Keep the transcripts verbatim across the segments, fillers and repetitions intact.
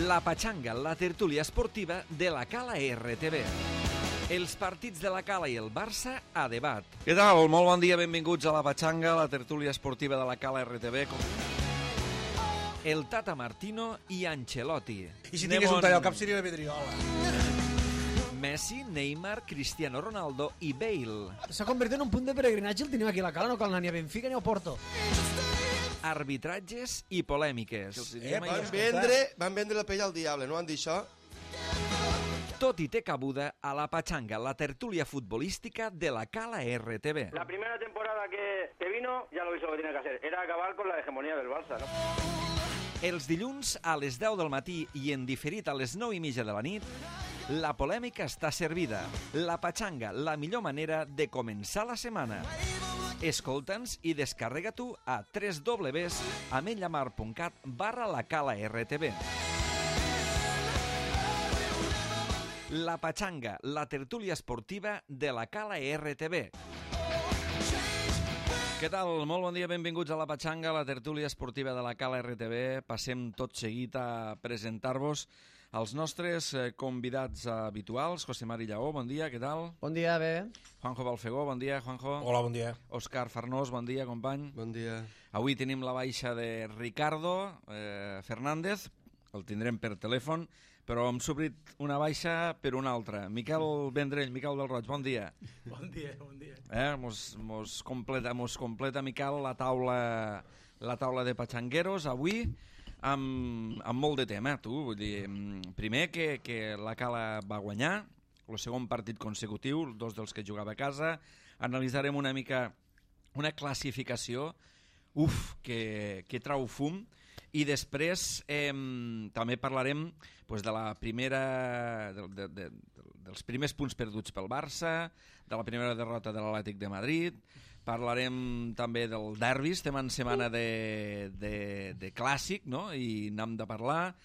La Pachanga, la tertúlia esportiva de la Cala R T V. Els partits de la Cala i el Barça a debat. Què tal? Molt bon dia, benvinguts a la Pachanga, la tertúlia esportiva de la Cala R T V. El Tata Martino i Ancelotti. I si tingués un tall al cap seria la vidriola. Messi, Neymar, Cristiano Ronaldo i Bale. S'ha convertit en un punt de peregrinatge, el tenim aquí a la Cala, no cal anar ni a Benfica ni a Porto. Arbitratges i polèmiques. Eh, van, vendre, van vendre la pell al diable, no han dit això? Tot i té cabuda a la Pachanga, la tertúlia futbolística de la Cala R T V. La primera temporada que, que vino, ya lo hizo lo que tenía que hacer, era acabar con la hegemonía del Barça, ¿no? Els dilluns a les deu del matí i en diferit a les nou i mitja de la nit, la polèmica està servida. La Pachanga, la millor manera de començar la setmana. Escolta'ns i descarrega tu a w w w punt ametlla punt cat barra la Cala R T V. La Pachanga, la tertúlia esportiva de la Cala R T V. Què tal? Molt bon dia, benvinguts a la Pachanga, la tertúlia esportiva de la Cala R T V. Passem tot seguit a presentar-vos els nostres convidats habituals. José Mari Lleó, bon dia, què tal? Bon dia, bé. Juanjo Balfegó, bon dia, Juanjo. Hola, bon dia. Òscar Farnós, bon dia, company. Bon dia. Avui tenim la baixa de Ricardo eh, Fernández, el tindrem per telèfon, però hem sobrit una baixa per una altra. Miquel Vendrell, Miquel del Roig, bon dia. Bon dia, bon dia. Eh, mos, mos, completa, mos completa, Miquel, la taula, la taula de patxangueros avui amb, amb molt de tema, tu. Vull dir, primer que, que la Cala va guanyar, el segon partit consecutiu, dos dels que jugava a casa. Analitzarem una mica una classificació, uf, que, que trau fum. I després eh, també parlarem pues, de la primera, de, de, de, dels primers punts perduts pel Barça, de la primera derrota de l'Atlètic de Madrid, parlarem també del derbi, estem en setmana de, de, de clàssic, no? I n'hem de parlar.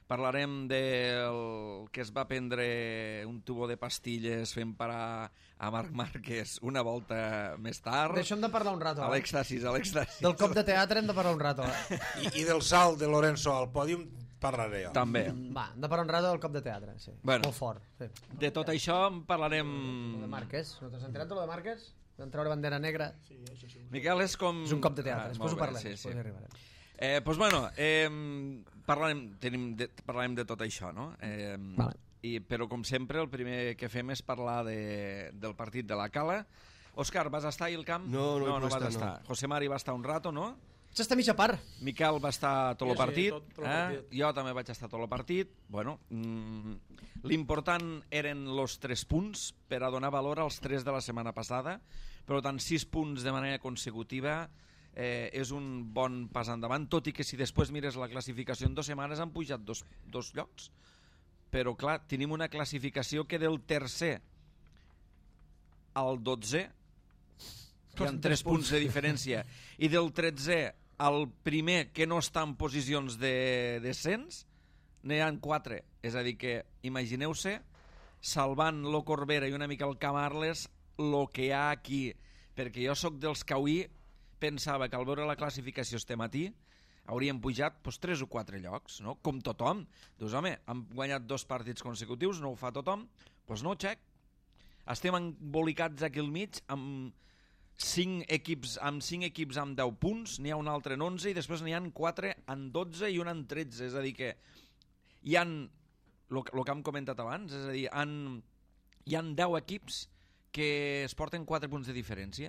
Parlarem del que es va prendre un tubo de pastilles fent parar a Marc Márquez una volta més tard. D'això hem de parlar un rato. A l'extasis, a l'extasis. Del cop de teatre hem de parlar un rato. Eh? I, I del salt de Lorenzo al pòdium parlaré jo. També. Va, hem de parlar un rato del cop de teatre, sí. Bueno, molt fort. Sí. De tot això en parlarem... Lo de Márquez, no t'has enterat de lo de Márquez? Vam treure bandera negra. Sí, això sí. Miquel, és com... És un cop de teatre, ah, després ho parlem. Sí, sí. Després hi arribarem. Eh, doncs, bueno, eh, parlarem, tenim de, parlarem de tot això, no? Eh, vale. I, però, com sempre, el primer que fem és parlar de, del partit de la Cala. Òscar, vas estar ahir al camp? No, no, no, no vas estar, estar. No. José Mari va estar un rato, no? Vaig estar mitja part. Miquel va estar tot el sí, partit. tot, tot el eh? partit. Jo també vaig estar tot el partit. Bueno, mm, l'important eren els tres punts per a donar valor als tres de la setmana passada. Per tant, sis punts de manera consecutiva eh, és un bon pas endavant, tot i que si després mires la classificació en dues setmanes han pujat dos, dos llocs. Però clar, tenim una classificació que del tercer al dotzè hi ha tres punts de diferència, i del tretzè al primer que no està en posicions de descens n'hi ha quatre. És a dir que imagineu-se, salvant lo Corbera i una mica el Camarles, lo que hi ha aquí, perquè jo sóc dels que avui pensava que al veure la classificació este matí haurien pujat pues, tres o quatre llocs, no? Com tothom. Dius, home, han guanyat dos partits consecutius, no ho fa tothom, doncs pues no, xec. Estem embolicats aquí al mig amb cinc equips amb cinc equips amb deu punts, n'hi ha un altre en onze i després n'hi ha quatre en dotze i un en tretze, és a dir que hi han, el que hem comentat abans, és a dir, han, hi han deu equips que es porten quatre punts de diferència.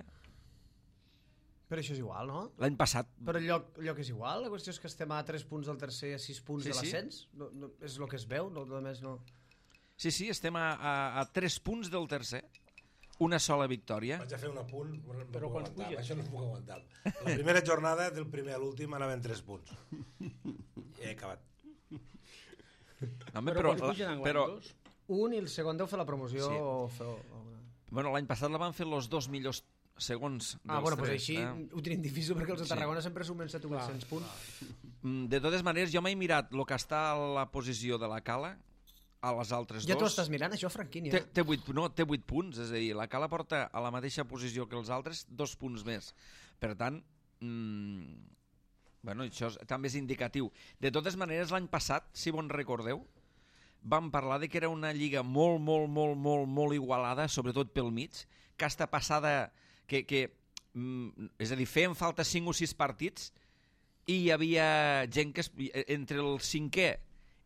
Però això és igual, no? L'any passat... Però el lloc, el lloc és igual? La qüestió és que estem a tres punts del tercer i a sis punts sí, de l'ascens? Sí. No, no, és el que es veu? No, només no... Sí, sí, estem a, a, a tres punts del tercer. Una sola victòria. Vaig a fer un apunt, no però puc quan aguantar, puges? això no puc aguantar. La primera jornada del primer a l'últim anaven tres punts. I he acabat. Home, però però, quan pugen en però, dos? Un i el segon deu fer la promoció Sí. o fer... O... bueno, l'any passat la van fer els dos millors segons dels Ah, bueno, doncs tres, així eh? ho tenim difícil perquè els de Sí. Tarragona sempre sumen set o vuit-cents punts. Mm, De totes maneres, jo m'he mirat el que està a la posició de la Cala, a les altres Ja dos. t'ho estàs mirant, això, Franquini? Té, Eh? té, vuit, no, té vuit punts, és a dir, la Cala porta a la mateixa posició que els altres dos punts més. Per tant, mm, Bueno, això és, també és indicatiu. De totes maneres, l'any passat, si bon recordeu, vam parlar de que era una lliga molt, molt, molt, molt, molt igualada, sobretot pel mig, que està passada, que, que mm, és a dir, feien falta cinc o sis partits i hi havia gent que, es, entre el cinquè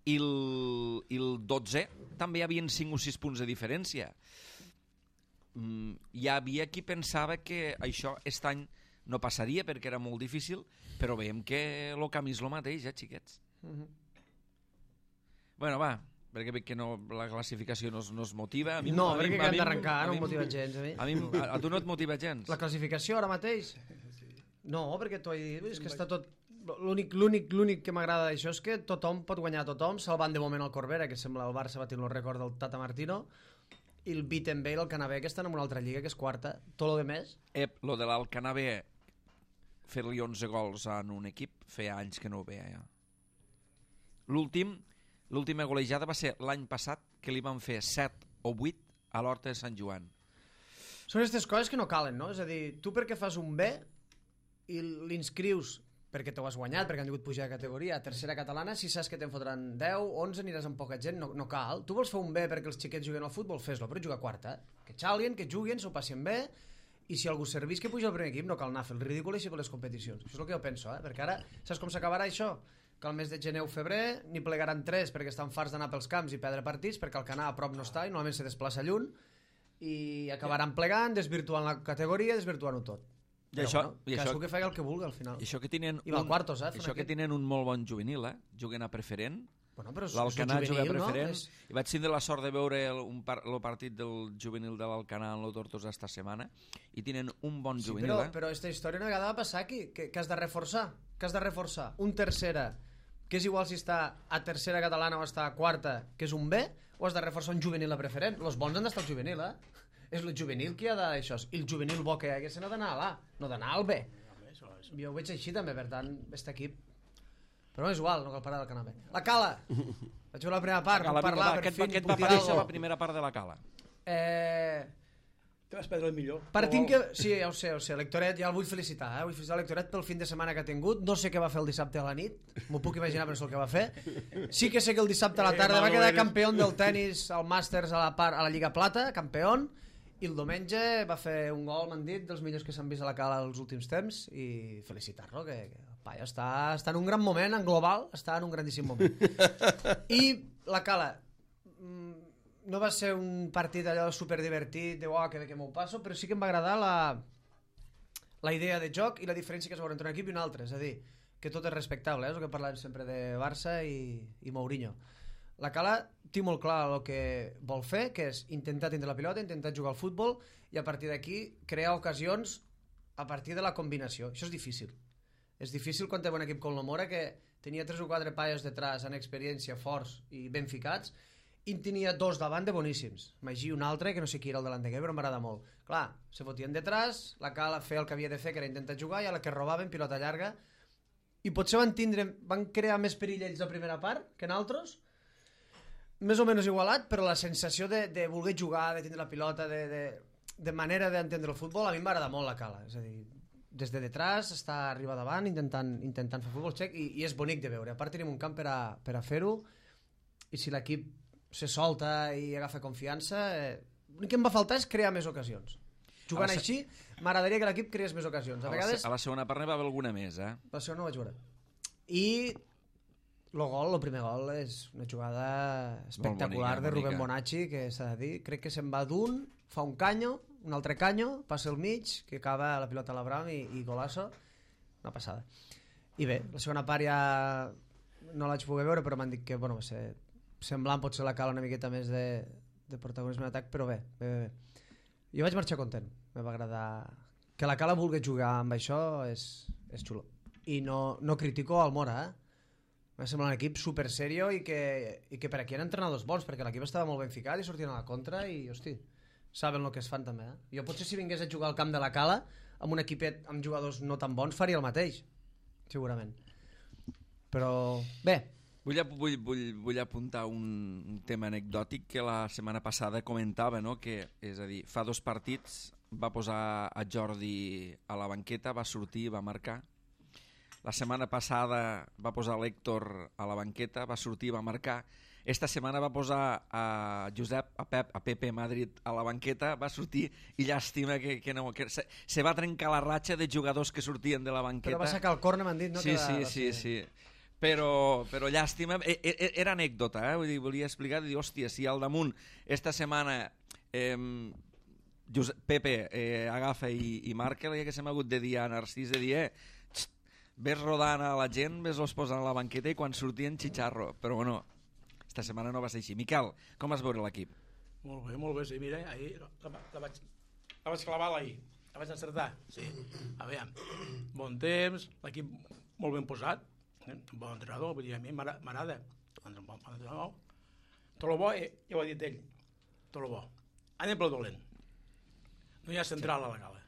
i el, i el dotzè, també hi havia cinc o sis punts de diferència. Mm, hi havia qui pensava que això aquest any no passaria perquè era molt difícil, però veiem que el camí és el mateix, eh, xiquets? Mhm. Bueno, va, perquè veig que no, la classificació no es, no es motiva. A mi, No, a mi- perquè a que hem mi- d'arrencar, a no mi- em motiva gens, a mi. A, mi, a, a tu no et motiva gens? La classificació ara mateix? No, perquè t'ho he dit, és que està tot... L'únic l'únic l'únic que m'agrada d'això és que tothom pot guanyar a tothom, salvant de moment el Corbera, que sembla el Barça batint el rècord del Tata Martino, i el Wittenberg, el Canabé, que estan en una altra lliga, que és quarta. Tot lo de més, Ep, lo de l'Alcanabé, fer-li onze gols en un equip, feia anys que no ho veia ja. L'últim, l'última golejada va ser l'any passat, que li van fer set o vuit a l'Horta de Sant Joan. són aquestes coses que no calen, no? És a dir, tu perquè fas un B i l'inscrius perquè t'ho has guanyat, perquè han tingut pujar de categoria a tercera catalana, si saps que te'n fotran deu, onze, aniràs amb poca gent, no, no cal. Tu vols fer un B perquè els xiquets juguen al futbol, fes-lo, però juga a quarta. Que xalien, que juguen, s'ho passin bé, i si algú servís que puja al primer equip, no cal anar a fer el ridícul així per les competicions. Això és el que jo penso, eh? Perquè ara, saps com s'acabarà això? Que al mes de gener o febrer n'hi plegaran tres perquè estan farts d'anar pels camps i perdre partits, perquè el Canà a prop no està i normalment se desplaça lluny, i acabaran plegant, desvirtuant la categoria, desvirtuant-ho tot. I Però, això, bueno, i cadascú això, que faci el que vulgui al final. i això que tenen I va un, a quartos, eh, fan això que aquest. tenen un molt bon juvenil, eh? Juguen a preferent. Bueno, però és, L'Alcanar és un juga a juvenil, preferent. no? És... I vaig tindre la sort de veure el, un par, el partit del juvenil de l'Alcanar en el Tortosa esta setmana, i tenen un bon Sí, juvenil, però, eh? però aquesta història una vegada va passar aquí, que, que has de reforçar, que has de reforçar un tercera, que és igual si està a tercera catalana o està a quarta, que és un B, o has de reforçar un juvenil a preferent. Los bons han d'estar al juvenil, eh? És el juvenil qui ha d'això, i el juvenil bo que hi hagués no d'anar a l'A, no d'anar al B. Jo ho veig així també, per tant, aquest equip... Però no és igual, no cal parar del canapé. La Cala! Vaig veure la primera part, Cala, no parlar, vinga, va, per aquest, fi, aquest ni va putir aparèixer algo. la primera part de la Cala. Eh... Te vas perdre el millor. Partint que... Sí, ja ho sé, ja ho sé. L'Hectoret, ja el vull felicitar, eh? Vull felicitar l'Hectoret pel fin de setmana que ha tingut. No sé què va fer el dissabte a la nit. M'ho puc imaginar, però no sé el que va fer. Sí que sé que el dissabte a la tarda va quedar campió del tennis al Masters a la, part, a la Lliga Plata, campió. I el diumenge va fer un gol, m'han dit, dels millors que s'han vist a la Cala els últims temps, i felicitar-lo, que, que el paio està, està en un gran moment, en global, està en un grandíssim moment. I la Cala, no va ser un partit allò superdivertit, de oh, que bé que m'ho passo, però sí que em va agradar la, la idea de joc i la diferència que es veure entre un equip i un altre, és a dir, que tot és respectable, eh? És el que parlàvem sempre de Barça i, i Mourinho. La Cala té molt clar el que vol fer, que és intentar tindre la pilota, intentar jugar al futbol i a partir d'aquí crear ocasions a partir de la combinació. Això és difícil. És difícil quan té un equip com l'Omora, que tenia tres o quatre paios detrás amb experiència, forts i ben ficats, i en tenia dos davant de boníssims. Magí un altre, que no sé qui era el delanter, però m'agrada molt. Clar, se fotien detrás, la Cala feia el que havia de fer, que era intentar jugar, i a la que robaven, pilota llarga, i potser van tindre, van crear més perill ells la primera part que en altres, més o menys igualat, però la sensació de, de voler jugar, de tindre la pilota, de, de, de manera d'entendre el futbol, a mi m'agrada molt la Cala. És a dir, des de detrás, està arriba davant, intentant, intentant fer futbol xec, i, i és bonic de veure. A part tenim un camp per a, per a fer-ho, i si l'equip se solta i agafa confiança, eh, l'únic que em va faltar és crear més ocasions. Jugant se... així, m'agradaria que l'equip creés més ocasions. A, a, vegades... la, a la segona part n'hi va haver alguna més, eh? Per això no ho vaig veure. I el gol, el primer gol, és una jugada espectacular bonica, de Rubén bonica. Bonacci, que s'ha de dir, crec que se'n va d'un, fa un canyo, un altre canyo, passa al mig, que acaba la pilota a l'Abram i, i golasso. Una passada. I bé, la segona part ja no la vaig poder veure, però m'han dit que bueno, va ser semblant, potser la Cala una miqueta més de, de protagonisme d'atac, però bé, bé, bé, bé. Jo vaig marxar content, me va agradar que la Cala vulgui jugar amb això, és, és xulo. I no, no critico el Mora, eh? M'ha semblat un equip super serio i que, i que per aquí han entrenadors bons, perquè l'equip estava molt ben ficat i sortien a la contra i, hosti, saben el que es fan també, eh? Jo potser si vingués a jugar al camp de la Cala amb un equipet amb jugadors no tan bons faria el mateix, segurament. Però, bé, Vull, vull, vull, vull apuntar un, un tema anecdòtic que la setmana passada comentava, no? Que, és a dir, fa dos partits va posar a Jordi a la banqueta, va sortir, va marcar, La setmana passada va posar l'Héctor a la banqueta, va sortir, va marcar. Esta setmana va posar a Josep, a Pep, a Pepe Madrid a la banqueta, va sortir i llàstima que, que no... Que se, se va trencar la ratxa de jugadors que sortien de la banqueta. Però va sacar el córner, m'han dit, no? Sí, que va, sí, va sí, ser... sí. Però, però llàstima, e, e, era anècdota, eh? Vull dir, volia explicar, dir, hòstia, si al damunt esta setmana eh, Josep, Pepe eh, agafa i, i marca, que se m'ha hagut de dir a Narcís, de dir, eh, xt, ves rodant a la gent, ves-los posant a la banqueta i quan sortien xitxarro, però bueno, esta setmana no va ser així. Miquel, com vas veure l'equip? Molt bé, molt bé, sí, mira, ahir la, la, vaig, la vaig clavar ahir, la vaig encertar, sí, a veure, bon temps, l'equip molt ben posat, eh? Bon entrenador, vull dir, a mi m'agrada, bon entrenador, tot el bo, eh, ja ho ha dit ell, tot el bo, anem pel dolent, no hi ha central a la gala,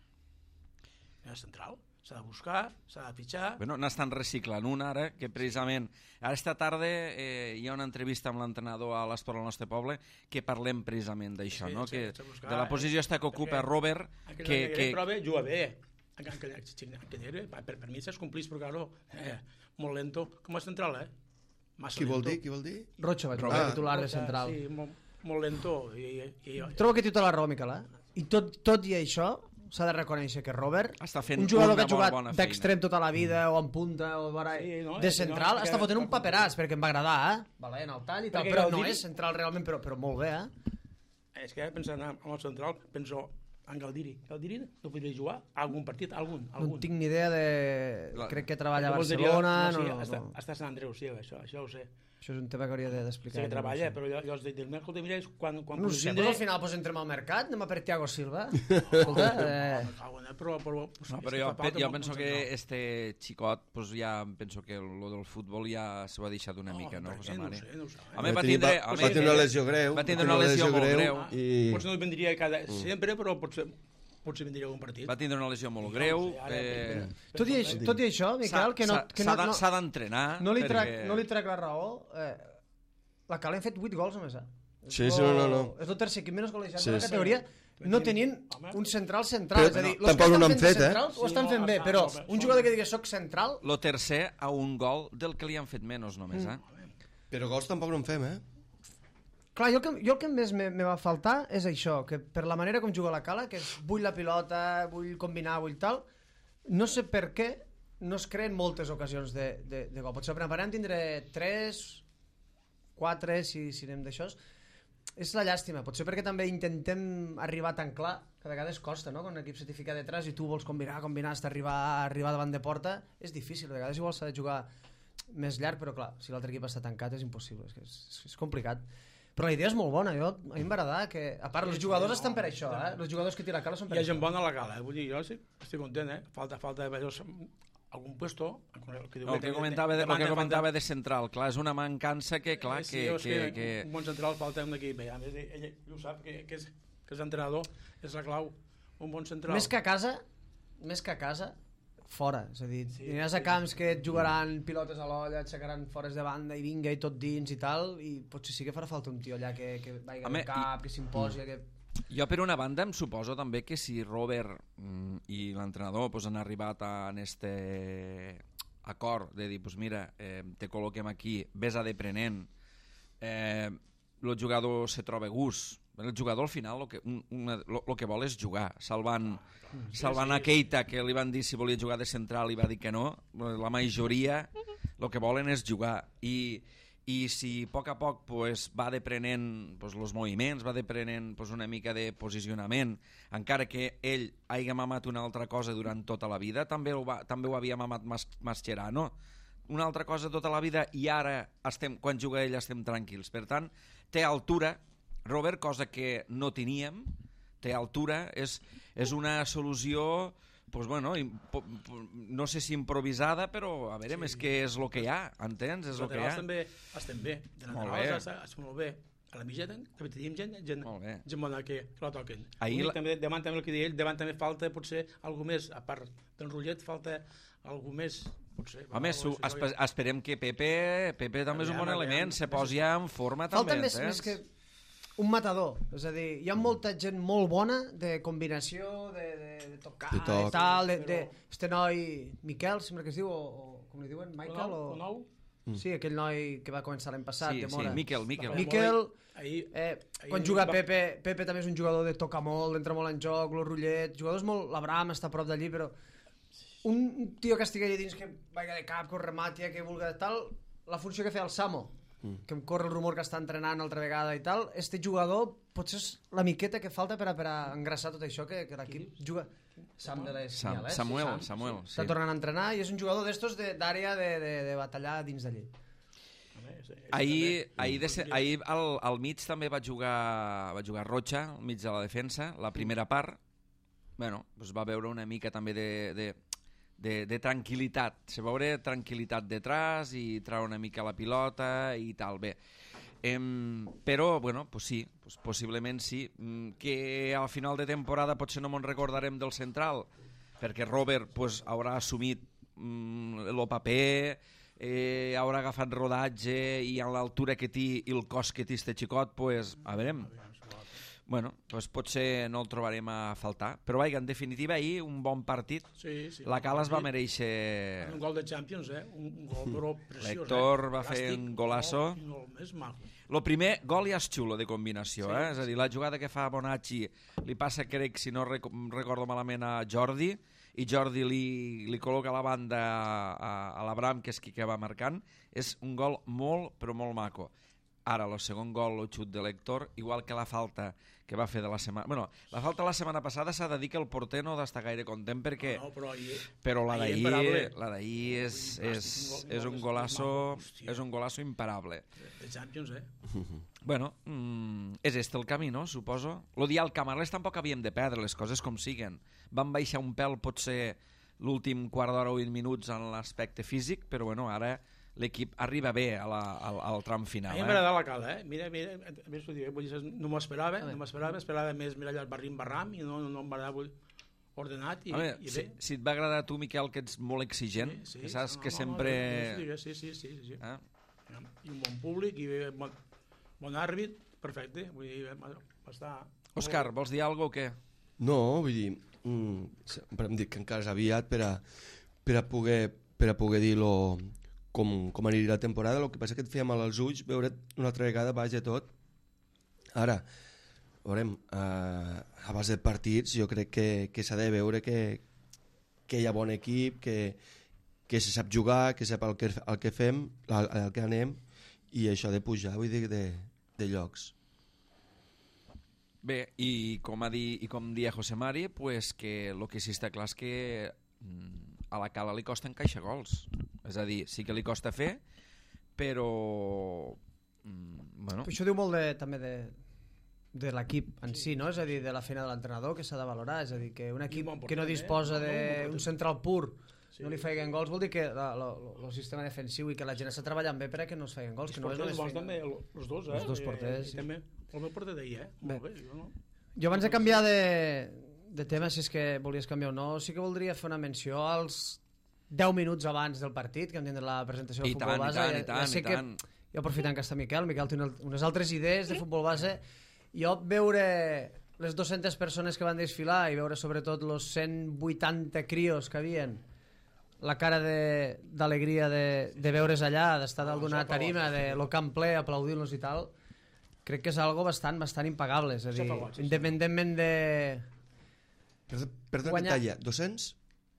no hi ha central, s'ha de buscar, s'ha de fitxar... Bueno, n'estan reciclant un ara, que precisament... Ara esta tarda eh, hi ha una entrevista amb l'entrenador a l'Esport al nostre poble que parlem precisament d'això, sí, no? Sí, que buscar, de la posició esta que ocupa perquè, Robert... Que, que, que... prova juga bé. Que, que, que, per, per mi s'es complís, però claro, eh, molt lento, com a central, eh? Massa Qui vol lento. dir? Qui vol dir? Rocha vaig Ah. ah, titular de central. Sí, molt, molt lento. I, i, i, Trobo que té tota la raó, Miquel, eh? I tot, tot i això, s'ha de reconèixer que Robert, Està fent un jugador una que ha jugat bona feina. d'extrem tota la vida, o en punta, o bara, Sí, no, de sí, central, no, està que- fotent un paperàs, perquè em va agradar, eh? Valent, el tall i tal, Perquè però el no Diri- és central realment, però, però molt bé, eh? és que pensant en el central, penso en Galdiri. Galdiri no podria jugar algun partit, algun. No algun. en tinc ni idea de... La- Crec que treballa a Llavors diria, Barcelona... no, sí, no, està, no. està a Sant Andreu, sí, això, això ho sé. Això és un tema que hauria de- Sí d'explicar. que jo, treballa, no ho sé. però jo, jo els dic, escolta, mira, quan, quan No ho puguis sé, vindre- però al final pues, entrem al mercat, anem a per Thiago Silva. Escolta, eh, Me cago en Déu, però, però, pues, No, és però que jo, fa falta jo un- penso un que central. este xicot, pues ja penso que lo del futbol ja s'ho ha deixat una mica, no, per José què? No ho Mari? sé, no ho sé. Home, va Va tenir- tindre... va- home, va tenir una lesió greu. Va tindre una lesió molt greu. Ah, I- Potser no vindria cada, sempre, però potser, potser vindria algun partit. Va tindre una lesió molt greu. No sé, ara, eh, però- tot, i, això- tot i això, Miquel, que no, s'ha- que s'ha no, de- no, s'ha d'entrenar. no, li trac, perquè- no li trac la raó. Eh, la Cal hem fet vuit gols només, eh? Sí, És sí, lo- no, no, no. És el tercer equip menys golejat Sí, de la sí. categoria, no tenint Home. un central central. Però és a dir, no, los tampoc que no estan n'han fent de fet, eh? central ho Sí, estan no, fent bé, estan però molt bé, un són- jugador que digui soc central, Lo tercer a un gol del que li han fet menys només, eh? Però gols tampoc no en fem, eh? clar, jo el que, jo el que més me, me va faltar és això, que per la manera com juga la Cala, que és vull la pilota, vull combinar, vull tal, no sé per què no es creen moltes ocasions de, de, de gol. Potser preparem tindré tres, quatre, si, si anem d'això. És la llàstima, potser perquè també intentem arribar tan clar, que a vegades costa, no? Quan l'equip se t'hi fica detrás i tu vols combinar, combinar, hasta arribar, arribar davant de porta, és difícil, a vegades igual s'ha de jugar més llarg, però clar, si l'altre equip està tancat és impossible, és, que és, és complicat. Però la idea és molt bona, jo, a mi em va agradar que, a part, els jugadors estan per això, eh? Els jugadors que tira Cala són per Hi ha això. gent bona a la gala, eh? Vull dir, jo sí, estic content, eh? Falta, falta veure algun puesto... Que El que comentava de, el que comentava de central, clar, és una mancança que, clar, sí, que... és que, que... Un bon central falta un equip bé. A més, ell, ell ho sap, que, que, és, que és entrenador, és la clau. Un bon central. Més que a casa, més que a casa, fora. És a dir, sí, aniràs a camps que et jugaran pilotes a l'olla, et sacaran fores de banda i vinga i tot dins i tal, i potser sí que farà falta un tio allà que, que vagi al cap, que s'imposi, que... Jo, per una banda, em suposo també que si Robert mm, i l'entrenador pues, han arribat a en este acord de dir, pues mira, eh, te col·loquem aquí, ves a deprenent, eh, el jugador se troba gust. El jugador al final el que, un, una, lo, lo que vol és jugar, salvant, salvant a Keita, que li van dir si volia jugar de central i va dir que no. La majoria el que volen és jugar, i i si a poc a poc pues, va deprenent pues, els moviments, va deprenent pues, una mica de posicionament, encara que ell hagi mamat una altra cosa durant tota la vida, també ho, va, també ho havia mamat Mas, Mascherano, una altra cosa tota la vida, i ara estem, quan juga ell estem tranquils. Per tant, té altura Robert, cosa que no teníem, té altura, és, és una solució pues bueno, impo, no sé si improvisada, però a veure, sí. És que és el que hi ha, entens? És el que hi ha. També estem bé, de laterals estem molt bé. A la mitja també tenim gent, gent, gent bona que, que la toquen. Ahir la... també, davant també el que deia ell, davant també falta potser algú més, a part del rotllet falta algú més. Potser, home, su, espe, esperem que Pepe, Pepe també és un bon element, se posi en forma falta també. Falta més, més que un matador, és a dir, hi ha molta gent molt bona de combinació, de, de de tocar De toc. i tal, de, Però- de, este noi Miquel, sempre que es diu, o, o com li diuen, Michael, O o... nou? Sí, aquell noi que va començar l'any passat, Sí, de sí, Mora. Miquel, Miquel. Miquel, Ahir, eh, ahir quan juga va- Pepe, Pepe també és un jugador de tocar molt, entra molt en joc, lo Rullet, jugadors molt... L'Abraham està a prop d'allí, però un tio que estigui allà dins, que vaiga de cap, que ho remati, que vulgui de tal, la funció que feia el Samo, que em corre el rumor que està entrenant altra vegada i tal, este jugador potser és la miqueta que falta per a, per a engrassar tot això que, que l'equip juga... Sam de les Sam, Senyales. Samuel, Sam, Samuel, Està sí. tornant a entrenar i és un jugador d'estos de- d'àrea de, de, de batallar dins d'allí. Ahir, ahir, de ser, ahir al, al mig també va jugar, va jugar Rocha, al mig de la defensa, la primera part. Bueno, doncs va veure una mica també de, de, de, de tranquil·litat. Se va veure tranquil·litat detrás i trau una mica la pilota i tal, bé. Em, però, bueno, pues sí, pues possiblement sí. Mm, Que al final de temporada potser no me'n recordarem del central, perquè Robert pues, haurà assumit mm, el paper, eh, haurà agafat rodatge i a l'altura que té i el cos que té este xicot, pues, a veurem. Bueno, pues potser no el trobarem a faltar. Però vaja, en definitiva, ahir un bon partit. Sí, sí. La Cala es va mereixer... Un gol de Champions, eh? Un, un gol però preciós. L'Héctor eh? va fer Plàstic, un golazo. Un gol més maco. Lo primer, gol ja és xulo de combinació, Sí, eh? És a dir, la jugada que fa Bonacci li passa, crec, si no rec recordo malament, a Jordi, i Jordi li, li col·loca a la banda a, a l'Abram, que és qui que va marcant. És un gol molt, però molt maco. Ara, el segon gol, el xut de l'Héctor, igual que la falta que va fer de la setmana... Bueno, la falta la setmana passada s'ha de dir que el porter no d'estar gaire content perquè... No, però ahir... Però la ahir d'ahir imparable. la d'ahir és, és, és un golazo és un golazo imparable. De Champions, eh? Bueno, mm, és este el camí, no? Suposo. Lo dia al Camarles tampoc havíem de perdre les coses com siguen. Van baixar un pèl potser l'últim quart d'hora o vint minuts en l'aspecte físic, però bueno, ara l'equip arriba bé a la, al, al tram A final. mi Eh? m'ha agradat la Cala, eh? Mira, mira, a més ho dic, vull dir, no m'ho esperava, no m'esperava, esperava més, mira allà el barrim barram i no, no em va agradar ordenat i, A veure, i si, bé. si et va agradar a tu, Miquel, que ets molt exigent, Sí, sí, que saps no, que no, sempre... No, no, sí, sí, sí, sí, sí. Eh? I un bon públic i bon, bon àrbit, perfecte. Vull dir, va, va estar... Òscar, vols dir alguna cosa o què? No, vull dir, mm, sempre hem dit que encara és aviat per a, per a poder, per a poder dir-lo com, com aniria la temporada. El que passa que et feia mal als ulls veure una altra vegada baix de tot. Ara, veurem, eh, a base de partits jo crec que, que s'ha de veure que, que hi ha bon equip, que, que se sap jugar, que sap el que, el que fem, el, el que anem, i això de pujar, vull dir, de, de llocs. Bé, i com, ha dit, i com dia José Mari, pues que el que sí està clar és que mm, a la Cala li costa encaixar gols. És a dir, sí que li costa fer, però... Mm, bueno, Això diu molt de, també de, de l'equip en si, no? És a dir, de la feina de l'entrenador que s'ha de valorar. És a dir, que un equip bon porter, que no eh? disposa No, no, bon d'un porter. central pur Sí. no li feien gols, vol dir que el sistema defensiu i que la gent està treballant bé per a que no es feien gols, Els que no és porters només bons també, feina. el- els dos, eh? Els dos I- porters, I, sí. també el meu porter d'ahir, eh? Bé. Molt bé, jo no... Jo abans de canviar de, de tema, si és que volies canviar o no, sí que voldria fer una menció als deu minuts abans del partit, que hem tindre la presentació del I futbol tant, i base. tant, ja, i tant, ja sé i que, tant. jo aprofitant que està Miquel, Miquel té una, unes altres idees de futbol base, jo veure les dues-centes persones que van desfilar i veure sobretot els cent vuitanta crios que havien, la cara d'alegria de, de, de veure's allà, d'estar dalt d'una tarima, de lo camp ple, aplaudint-los i tal, crec que és algo bastant, bastant impagable. És a dir, Això fa goig, sí. independentment de... Perdó, perdó que Guanyar- talla, dos-cents?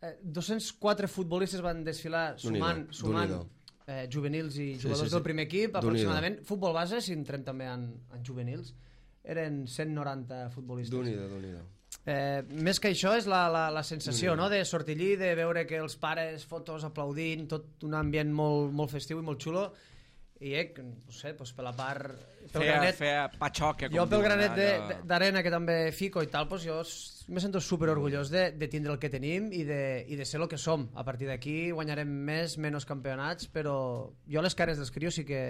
Eh, dos-cents quatre futbolistes van desfilar sumant, Déu-n'hi-do, sumant Déu-n'hi-do. eh, juvenils i Sí, jugadors sí, sí. del primer equip, Déu-n'hi-do. aproximadament. Futbol base, si entrem també en, en juvenils, eren cent noranta futbolistes. Déu-n'hi-do, Déu-n'hi-do. Eh, més que això és la, la, la sensació, no?, de sortir allí, de veure que els pares, fotos, aplaudint, tot un ambient molt, molt festiu i molt xulo, i eh, no sé, doncs per la part... Pel feia, granet, feia patxoca, com jo pel diuen, granet de- allò. de- d'arena que també fico i tal, doncs jo s- me sento super orgullós de, de tindre el que tenim i de, i de ser el que som. A partir d'aquí guanyarem més, menys campionats, però jo les cares dels crios sí que,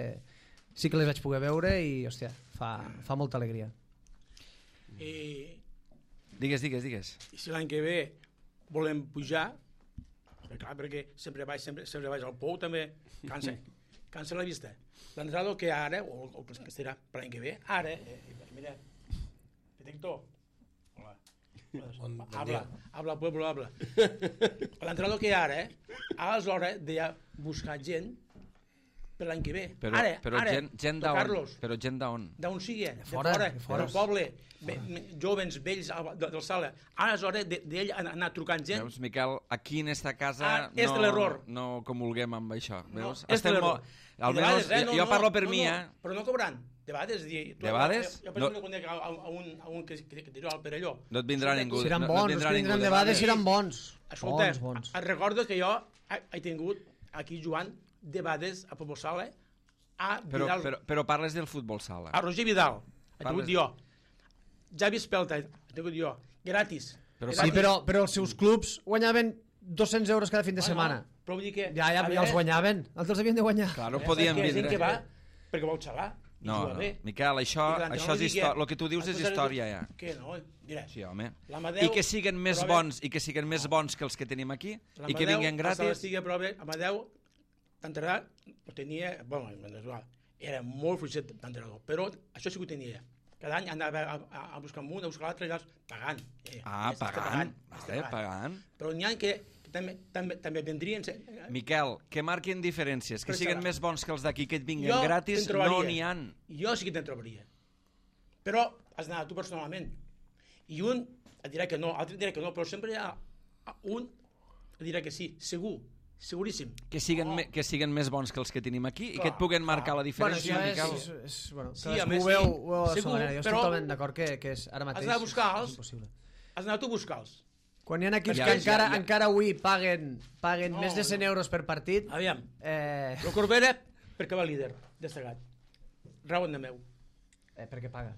sí que les vaig poder veure i, hòstia, fa, fa molta alegria. I, Digues, digues, digues. i si l'any que ve volem pujar, perquè, clar, perquè sempre vaig, sempre, sempre vaig al pou, també cansa, cansa la vista. L'entrenador que ara, o, o que serà per l'any que ve, ara, eh, mira, detector, hola, Pues, Bon, bon habla, dia. habla, pueblo, habla. L'entrenador que hi ha ara, eh? Ara és l'hora de ja buscar gent per l'any que ve. Però, ara, però ara, gent, gent Don d'on? Carlos, Però gent d'on? d'on sigui, de fora, fora, de fora. del poble, be, me, jovens, vells, al- de- del sala. Ara és hora de- d'ell anar, anar trucant gent. Veus, Miquel, aquí en esta casa Ah, és no, l'error. no comulguem amb això. No, Veus? és l'error. molt... I de Almenys, vegades, eh, no, jo no, parlo per no, mi, no, eh? Però no cobrant. De vegades, dir, tu, De vegades? Jo, jo per No. exemple, conec a, a, a, un, a un que, que, que dirà al Perelló. No et vindrà ningú. Si eren no, no bons, et els vindrà que ningú vindran de de vegades Badalona. eren bons. Escolta, Bons, bons. et recordo que jo he, he tingut aquí jugant de vegades a Futbol Sala a Però, Vidal, però, però parles del futbol sala. a Roger Vidal. He Parles- tingut jo. Javi Espelta, he tingut jo. Gratis. Però Sí, però, però els seus clubs guanyaven dos-cents euros cada fin de Ah, no, setmana. Però vull dir que... Ja, ja, a ja els veure, guanyaven. Els els havien de guanyar. Clar, no eh, podien perquè hi ha gent vindre. que va perquè vol xalar. i No, juga no. bé. Miquel, això, I l'entrenador això és digui, història. El que tu dius és "Entonces, història, ja. Que no, mira. Sí, home. L'Amadeu- I que siguen més però a veure- bons i que siguen més bons que els que tenim aquí i que L'Amadeu, vinguin a Sala gratis. Estigui a prova, Amadeu, d'entrenador, ho tenia... Bueno, era molt fluixet d'entrenador, però això sí que ho tenia. Cada any anava a, a, a buscar un, a buscar l'altre, i allà pagant. Eh, Ah, està pagant. està Vale, pagant. Però n'hi ha que, que també, també, també vendrien... Eh? Miquel, que marquin diferències, que Però siguen serà. més bons que els d'aquí, que et vinguin Jo gratis, te'n trobaria. no n'hi han. Jo sí que te'n trobaria. Però has d'anar tu personalment. I un et dirà que no, l'altre et dirà que no, però sempre hi ha un et dirà que sí, segur, seguríssim. Que siguen, Oh. me, que siguen més bons que els que tenim aquí i Clar, que et puguen marcar clar. la diferència, Bueno, això Miquel. és, és, és, bueno, Sí, cadascú a més, ho veu, sí. ho veu a la Segur, seva manera. Jo estic però- totalment d'acord que, que és, ara mateix d'anar a buscar-los. és impossible. Has d'anar tu a buscar-los. Quan hi ha equips Ja, que ja, encara, ja. encara avui paguen, paguen No, més de cent no. euros per partit, Aviam, eh, el Corbera, perquè va líder, destacat. Rauen de meu. eh, per què paga?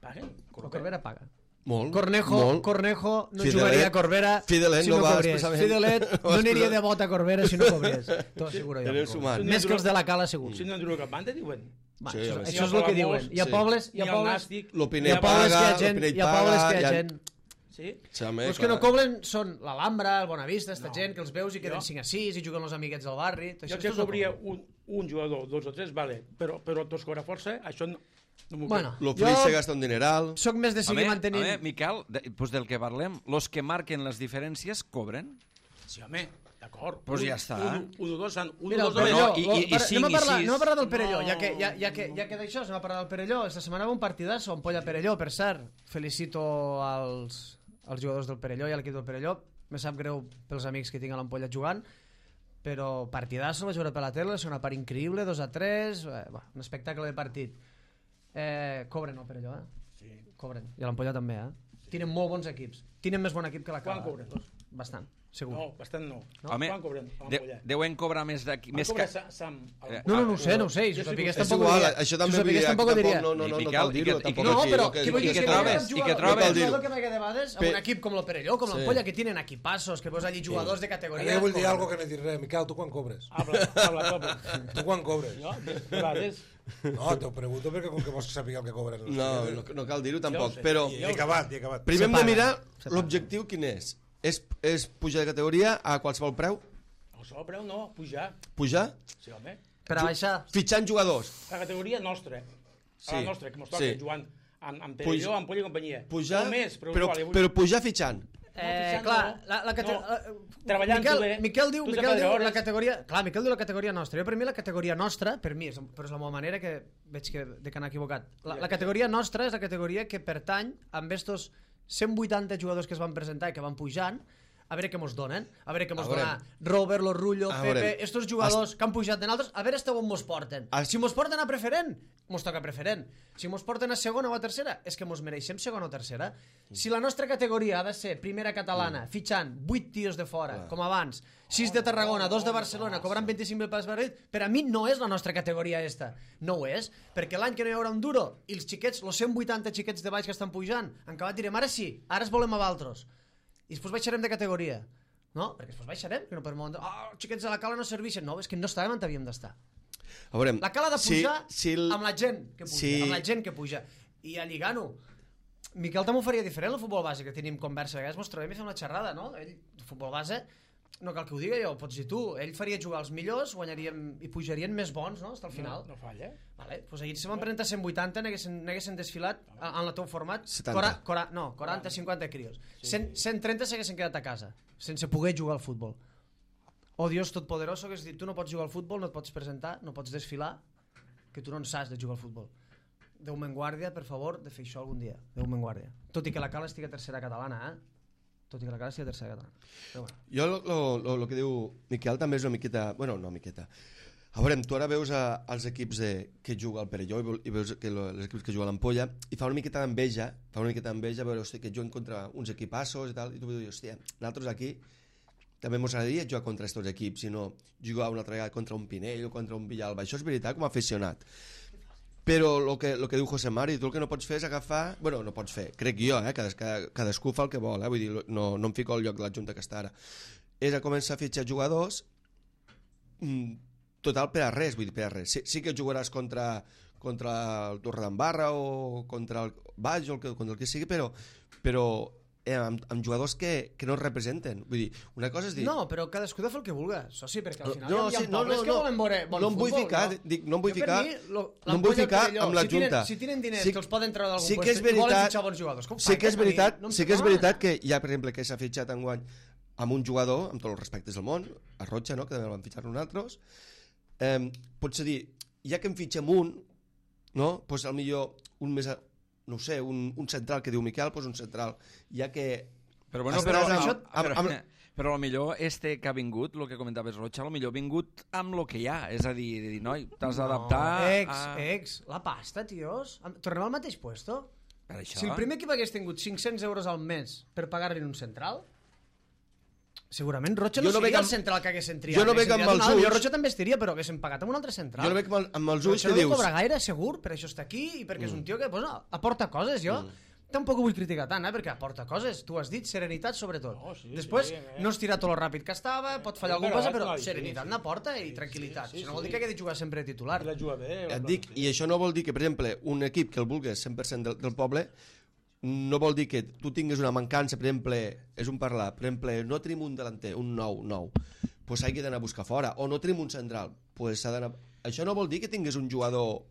Paguen? El Corbera paga. Molt, Cornejo, molt. Cornejo no Fidelet- jugaria a Corbera Fidelet si no no, va cobriés. expressament- Fidelet no no va aniria expressar- de bot a Corbera si no cobriés. T'ho asseguro jo. Eres humà. Més que els de la Cala, segur. Si no han durat cap banda, diuen. Va, Sí, això, a veure, això sí. és el que Hi ha diuen. Hi ha sí. pobles, hi Hi ha ha el pobles, Nàstic. hi L'Opinell ha pobles que hi ha paga, gent, l'Opinell hi ha pobles que hi ha paga, gent. Sí? Xame, Els que no clar. cobren són l'Alhambra, el Bonavista, esta No. gent que els veus i queden Jo- cinc a sis i juguen els amiguets del barri. Tot Jo això que és tot cobria el- un, un jugador, dos o tres, vale, però, però tots cobra força, això no, no m'ho Bueno, L'Ofric jo se gasta un dineral. soc més de seguir Home, mantenint... home, Miquel, de, pues del que parlem, los que marquen les diferències cobren. Sí, home, d'acord. Pues Un- ja està. Un, un, un, dos, un, Mira, el dos, Perelló, no, i- lo- i- i per- cinc anem, a i parlar, sis. anem a parlar del Perelló, No, ja que, ja, ja que, ja que d'això anem a parlar del Perelló. Esta setmana va un partidasso, Ampolla Perelló, per cert. Felicito als, als jugadors del Perelló i a l'equip del Perelló. Me sap greu pels amics que tinc a l'Ampolla jugant, però partidasso, el vaig veure per la tele, la segona part increïble, dos a tres, eh, bah, un espectacle de partit. Eh, cobren el Perelló, eh? Sí. Cobren. I a l'Ampolla també, eh? Tenen molt bons equips. Tenen més bon equip que la Quan Cala. cobren? Dos. Bastant, segur. No, bastant no. no? Home, Quan cobren? Quan de, cobren? deuen cobrar més d'aquí. Quan Més cobra que... Sa- Sam? Eh, No, no, no ho sé, no ho sé. Si Jo ho sí sapigués que ho sé. És tampoc ho igual, diria. això Si també ho vull dir sapigués que tampoc ho diria. tampoc no, no, no, no Miquel, cal i dir-ho, que- tampoc No, aquí, però el que, què vull dir i que que trobes, trobes, i que jugadors, trobes. però és el que m'agrada de vegades, amb Pe- un equip com el Perelló, com l'Ampolla, que tenen equipassos, que veus allí jugadors de Ara categoria. jo vull dir com- algo que no he dit res. Miquel, tu quan cobres? Habla, habla, habla. Tu quan cobres? No, de de vegades. No, t'ho pregunto perquè com que vols saber el que cobren. els No, clients. no, no cal dir-ho Ja ho tampoc, sé. però I he acabat, i he acabat. primer hem de paga, mirar se paga. l'objectiu quin és. és. És pujar de categoria a qualsevol preu? El sol preu no, pujar. Pujar? Sí, home. Per a baixar. Fitxant jugadors. La categoria nostra. Sí, La nostra, que mos toca sí. jugant amb, amb Puja- Perelló, amb Polla i companyia. Pujar, No més, però, però, igual, jo vull- però pujar fitxant. Eh, fitxant clar, no. la, la cate... No. la- Treballant Miquel, tu bé. Miquel diu, Tu Miquel sempre diu hores. la categoria... Clar, Miquel diu la categoria nostra. Jo per mi la categoria nostra, per mi, és, però és la meva manera que veig que de que anar equivocat. La, la categoria nostra és la categoria que pertany amb estos cent vuitanta jugadors que es van presentar i que van pujant, a veure què mos donen, a veure què mos A veure. dona Robert, Lorrullo, A Pepe, veure. estos jugadors que han pujat de nosaltres, a veure hasta on mos porten. As- Si mos porten a preferent, mos toca preferent. Si mos porten a segona o a tercera, és que mos mereixem segona o tercera. Si la nostra categoria ha de ser primera catalana, fitxant vuit tios de fora, com abans, sis de Tarragona, dos de Barcelona, cobrant vint-i-cinc mil per partit, per a mi no és la nostra categoria esta. No ho és, perquè l'any que no hi haurà un duro, i els xiquets, els cent vuitanta xiquets de baix que estan pujant, en acabat direm, ara sí, ara es volem a valtros. I després baixarem de categoria. No, perquè després baixarem, que no per molt... Oh, els xiquets de la Cala no serveixen. No, és que no estàvem on havíem d'estar. A veure, La Cala ha de si- pujar si el- amb la gent que puja, si- amb la gent que puja. I a lligant-ho. Miquel també ho faria diferent, el futbol base, que tenim conversa. A vegades mos trobem i fem una xerrada, no? Ell, el futbol base, no cal que ho digui jo, ho pots dir tu. Ell faria jugar els millors, guanyaríem i pujarien més bons, no? Hasta el final. No, no falla. Vale, pues ahir se van presentar cent vuitanta, n'haguessin desfilat en el teu format. setanta. Cora, cora, no, quaranta cinquanta crios. cent, cent trenta s'haguessin quedat a casa, sense poder jugar al futbol. Oh, Dios totpoderoso, que és dir, tu no pots jugar al futbol, no et pots presentar, no pots desfilar, que tu no en saps de jugar al futbol. Déu me'n guàrdia, per favor, de fer això algun dia. Déu me'n guàrdia. Tot i que la Cala estigui a tercera catalana, eh? Tot i que la Cala estigui a tercera catalana. Però bueno. Jo lo, lo, lo, lo que diu Miquel també és una miqueta... Bueno, no miqueta. A veure, tu ara veus a, als equips de, que juga al Perelló i, i veus que lo, els equips que juga a l'Ampolla i fa una miqueta d'enveja, fa una miqueta d'enveja veure, hòstia, que juguen contra uns equipassos i tal, i tu dius, hòstia, nosaltres aquí també mos agradaria jugar contra aquests equips, si no jugar una altra vegada contra un Pinell o contra un Villalba. Això és veritat com a aficionat. Però el que, lo que diu José Mari, tu el que no pots fer és agafar... Bueno, no pots fer, crec jo, eh? Cades, cada, cadascú fa el que vol, eh? Vull dir, no, no em fico al lloc de la Junta que està ara. És a començar a fitxar jugadors mm, total per a res, vull dir, per a res. Sí, sí que jugaràs contra, contra el Torredembarra o contra el Baix o el que, contra el que sigui, però, però eh, amb, amb jugadors que, que no es representen. Vull dir, una cosa és dir... No, però cadascú de fer el que vulga, soci, perquè al final no, hi ha, sí, hi ha no, pobles no, que no, volen veure bon no em vull futbol, ficar, no? dic, no em vull Jo, ficar, per mi, lo, no em vull ficar Perelló, amb la si Junta. Tenen, si tenen diners Sí, que els poden treure d'algun sí que és puesto i volen veritat, fitxar bons jugadors, com sí que és fan? veritat, No em sí que és sembla veritat que hi ha, per exemple, que s'ha fitxat enguany amb un jugador, amb tots els respectes del món, a Rocha, no? Que també el van fitxar nosaltres, eh, potser dir, ja que en fitxem un, no? Pues al millor un més, a, no sé, un, un central que diu Miquel, pues un central, ja que... Però bueno, Estàs però, amb- això, amb- però, amb- però a lo millor este que ha vingut, el que comentaves Rocha, a lo millor ha vingut amb el que hi ha, és a dir, de dir noi, t'has d'adaptar Ex, a... ex, la pasta, tios. Am- Tornem al mateix puesto? Per això. Si el primer equip hagués tingut cinc-cents euros al mes per pagar-li un central, segurament Rocha Jo no, no seria veig el amb- central que haguessin triat. jo no veig haguessin amb triat els un altre. ulls- Jo Rocha també estiria, però haguessin pagat amb un altre central. Jo no veig amb, el- amb els ulls Rocha que no dius... cobra gaire, segur, per això està aquí i perquè és un tio que pues, no, aporta coses, jo. Mm. Tampoc ho vull criticar tant, eh, perquè aporta coses. Tu has dit serenitat, sobretot. No, sí, Després, sí, eh. no es tira tot lo ràpid que estava, pot fallar És alguna cosa, verdad, però no, sí, serenitat sí. n'aporta i tranquil·litat. sí, Si no sí. vol dir que hagi de jugar sempre de titular. La juga bé. Et dic, i això no vol dir que, per exemple, un equip que el vulgués cent per cent del, del poble, no vol dir que tu tingues una mancança, per exemple, és un parlar, per exemple, no tenim un delanter, un nou, nou, pues hagi d'anar a buscar fora, o no tenim un central, pues s'ha d'anar... Això no vol dir que tingués un jugador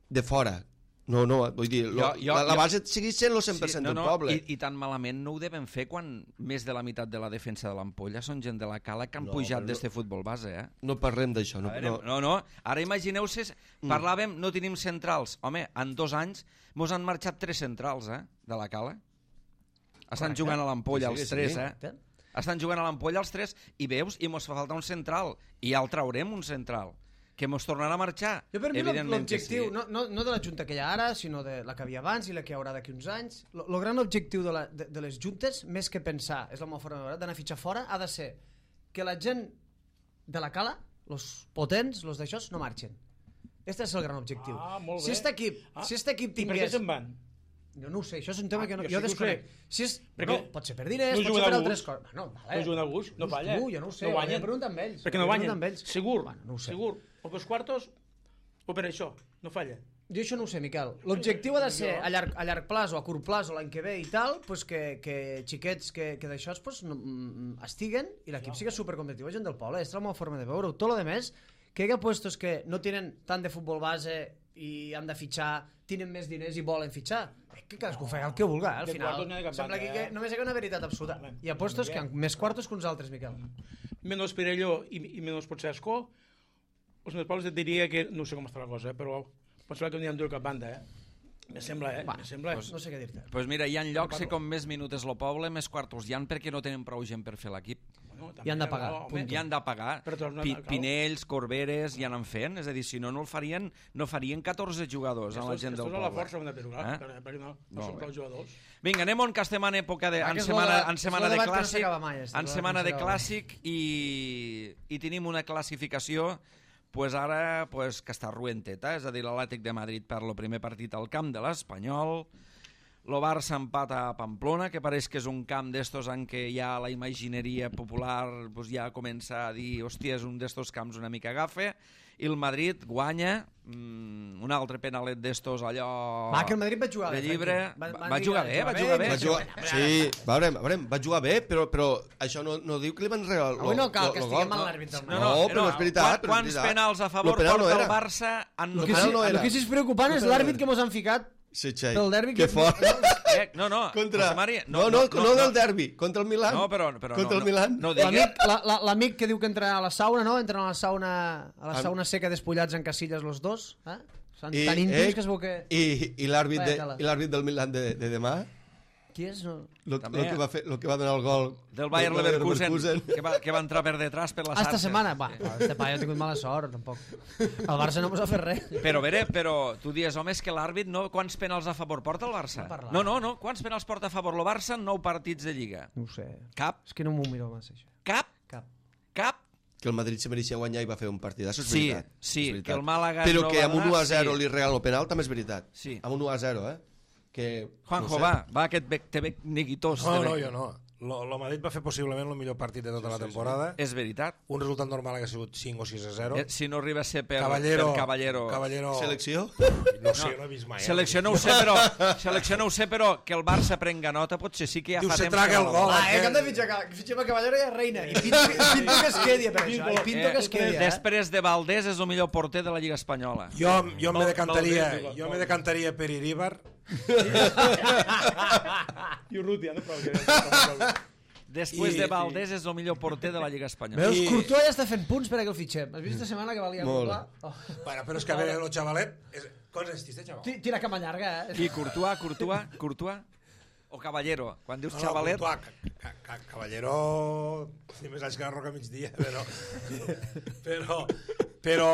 de fora. No, no, vull dir, lo, Jo- jo- la, la jo- base segueix sent el cent per cent no, del no, poble. I, I tan malament no ho devem fer quan més de la meitat de la defensa de l'Ampolla són gent de la Cala que han No, pujat però d'este futbol base, eh? No parlem d'això. A No, veure, no, no, no, ara imagineu-se, parlàvem, no tenim centrals. Home, en dos anys mos han marxat tres centrals, eh, de la Cala. Estan Correcte. jugant a l'Ampolla Sí, sí, els sí. tres, eh? Correcte. Estan jugant a l'Ampolla els tres i veus, i mos fa falta un central. I ja el traurem, un central. Que mos tornarà a marxar. Jo per mi Evidentment que l'objectiu, sí. no, no, no de la junta que hi ha ara, sinó de la que havia abans i la que hi haurà d'aquí uns anys, el gran objectiu de, la, de, de les juntes, més que pensar, és la meva forma de veure, d'anar a fitxar fora, ha de ser que la gent de la Cala, els potents, els d'això, no marxen. Este és el gran objectiu. Ah, molt si bé. este equip, Ah, si este equip I per què tingués... se'n van? Jo no ho sé, això és un tema Ah, que no, jo jo sí que ho desconec. sé. Si és, Perquè no, pot ser per diners, no pot juguen ser per a altres gust. coses. Bueno, vale. No juguen a gust, no Just falla. tu, jo no ho sé, no ho guanyen. he preguntat amb ells. Perquè no ho he guanyen, preguntat amb ells. segur, Bueno, no ho sé. segur. O pels quartos, o per això, no falla. Jo això no ho sé, Miquel. L'objectiu ha de ser Jo- a llarg, a llarg plaç o a curt plaç o l'any que ve i tal, pues que, que xiquets que, que d'això pues, no, mm, estiguen i l'equip sigui supercompetitiu a gent del poble. És la meva forma de veure-ho. Tot lo de més, que hi ha puestos que no tenen tant de futbol base i han de fitxar, tenen més diners i volen fitxar. Eh, Que cadascú fa el que vulga, eh, al De final. quartos n'hi ha de cap Sembla banda, aquí que eh? només hi ha una veritat absoluta. Home, Hi ha puestos que han més quartos que uns altres, Miquel. Menos Perelló i, i menos potser Escó, els meus pobles et diria que, no sé com està la cosa, eh, però pot ser que n'hi ha de cap banda, eh? Me sembla, eh? Me sembla. No sé què dir-te. Pues mira, hi ha llocs que com més minutes lo poble, més quartos hi han perquè no tenen prou gent per fer l'equip. Bueno, també, I han de pagar, no, punt. home, I han de pagar. Però tornen Pi a- Pinells, Corberes, i anant fent. És a dir, si no, no el farien, no farien catorze jugadors a la gent del Estos a poble. la força ho hem de fer, clar, Eh? perquè, perquè no, no Molt són bé. prou jugadors. Vinga, anem on que estem en època de... Ah, En que és setmana, lo de- en és setmana lo de debat que no clàssic, s'acaba mai, este, en lo setmana debat de que no s'acaba clàssic i, i tenim una classificació pues ara pues, que està ruenteta, és a dir, l'Atlètic de Madrid per el primer partit al camp de l'Espanyol, el Barça empata a Pamplona, que pareix que és un camp d'estos en què ja la imagineria popular pues, ja comença a dir, hòstia, és un d'estos camps una mica gafe, i el Madrid guanya mm, un altre penalet d'estos allò... Va, que el Madrid va jugar de bé. llibre. Va, Va, va jugar bé, va jugar bé. Va jugar... Sí, veurem, veurem, va jugar bé, però, però això no, no diu que li van regalar el Avui no cal lo, que lo estiguem gol. amb l'àrbit del No, Madrid. no, No, però és veritat, Quan, però és quants veritat. penals a favor Lo penal porta no el era. Barça en... El Lo que, penal sí, no era. el que sí és preocupant és l'àrbit que mos han ficat Sí, Xai. pel derbi. Que fort. Eh, no, no, Contra... José Mari, no, no, no, no, del derbi, contra el Milan. No, però, però contra no, el Milan. No, no digui... L'amic la, la, l'amic que diu que entra a la sauna, no? Entren a la sauna, a la Am- sauna seca despullats en casilles los dos. Eh? Són I, tan íntims eh, que es veu que... I, i l'àrbit de, Vaya tela. i l'àrbit del Milan de, de demà, Qui és? No. lo, També. lo, que va fer, lo que va donar el gol del Bayer del Leverkusen, que va, que va entrar per detrás per la Ah, xarxa. esta setmana? Va, este paio ha tingut mala sort, tampoc. El Barça no mos ha fet res. Però, Bere, però tu dius, home, és que l'àrbit no... Quants penals a favor porta el Barça? No parlar. No, no, no. Quants penals porta a favor el Barça en nou partits de Lliga? No ho sé. Cap? És que no m'ho miro massa, això. Cap? Cap. Cap? que el Madrid se mereixia guanyar i va fer un partidasso, és Sí, veritat. sí, és veritat. que el Màlaga Però no que va amb un donar, u a zero sí. li regala el penal també és veritat. Sí. Amb un u a zero, eh? Que, Juanjo, no sé. va, va, aquest bec, te bec neguitós. No, te no, bec. jo no. Lo, lo Madrid va fer possiblement el millor partit de tota sí, la temporada. Sí, sí. És veritat. Un resultat normal hauria sigut cinc o sis a zero. Eh, Si no arriba a ser per Caballero, per Caballero. Caballero... Selecció? No sé, no he vist mai. Eh? Selecció no ho sé, però, selecció no ho sé, però que el Barça prenga nota potser sí que ja Diu, fa se temps traga que el no gol. va. Ah, eh, que hem de fitxar, que fitxem a Caballero i a Reina. I pinto, i pinto que es quedi per això. I pinto que es quedi, eh? Després de Valdés és el millor porter de la Lliga Espanyola. Jo, jo me Val- decantaria, Valdés, jo Valdés. me decantaria per Iríbar. I Urrutia, no? Però que... Després I- de Valdés és el millor porter de la Lliga Espanyola. Veus, I- Courtois ja està fent punts per a que el fitxem. Has vist esta setmana que valia Molt. Courtois? Oh. Bueno, però és que a veure, el xavalet... És... Quants anys té, xaval? Ti- Tira cama llarga, eh? I Courtois, Courtois, Courtois o Caballero? Quan dius No, no, xavalet... Courtois, ca, ca, Caballero té més anys que la Roca migdia, però però, però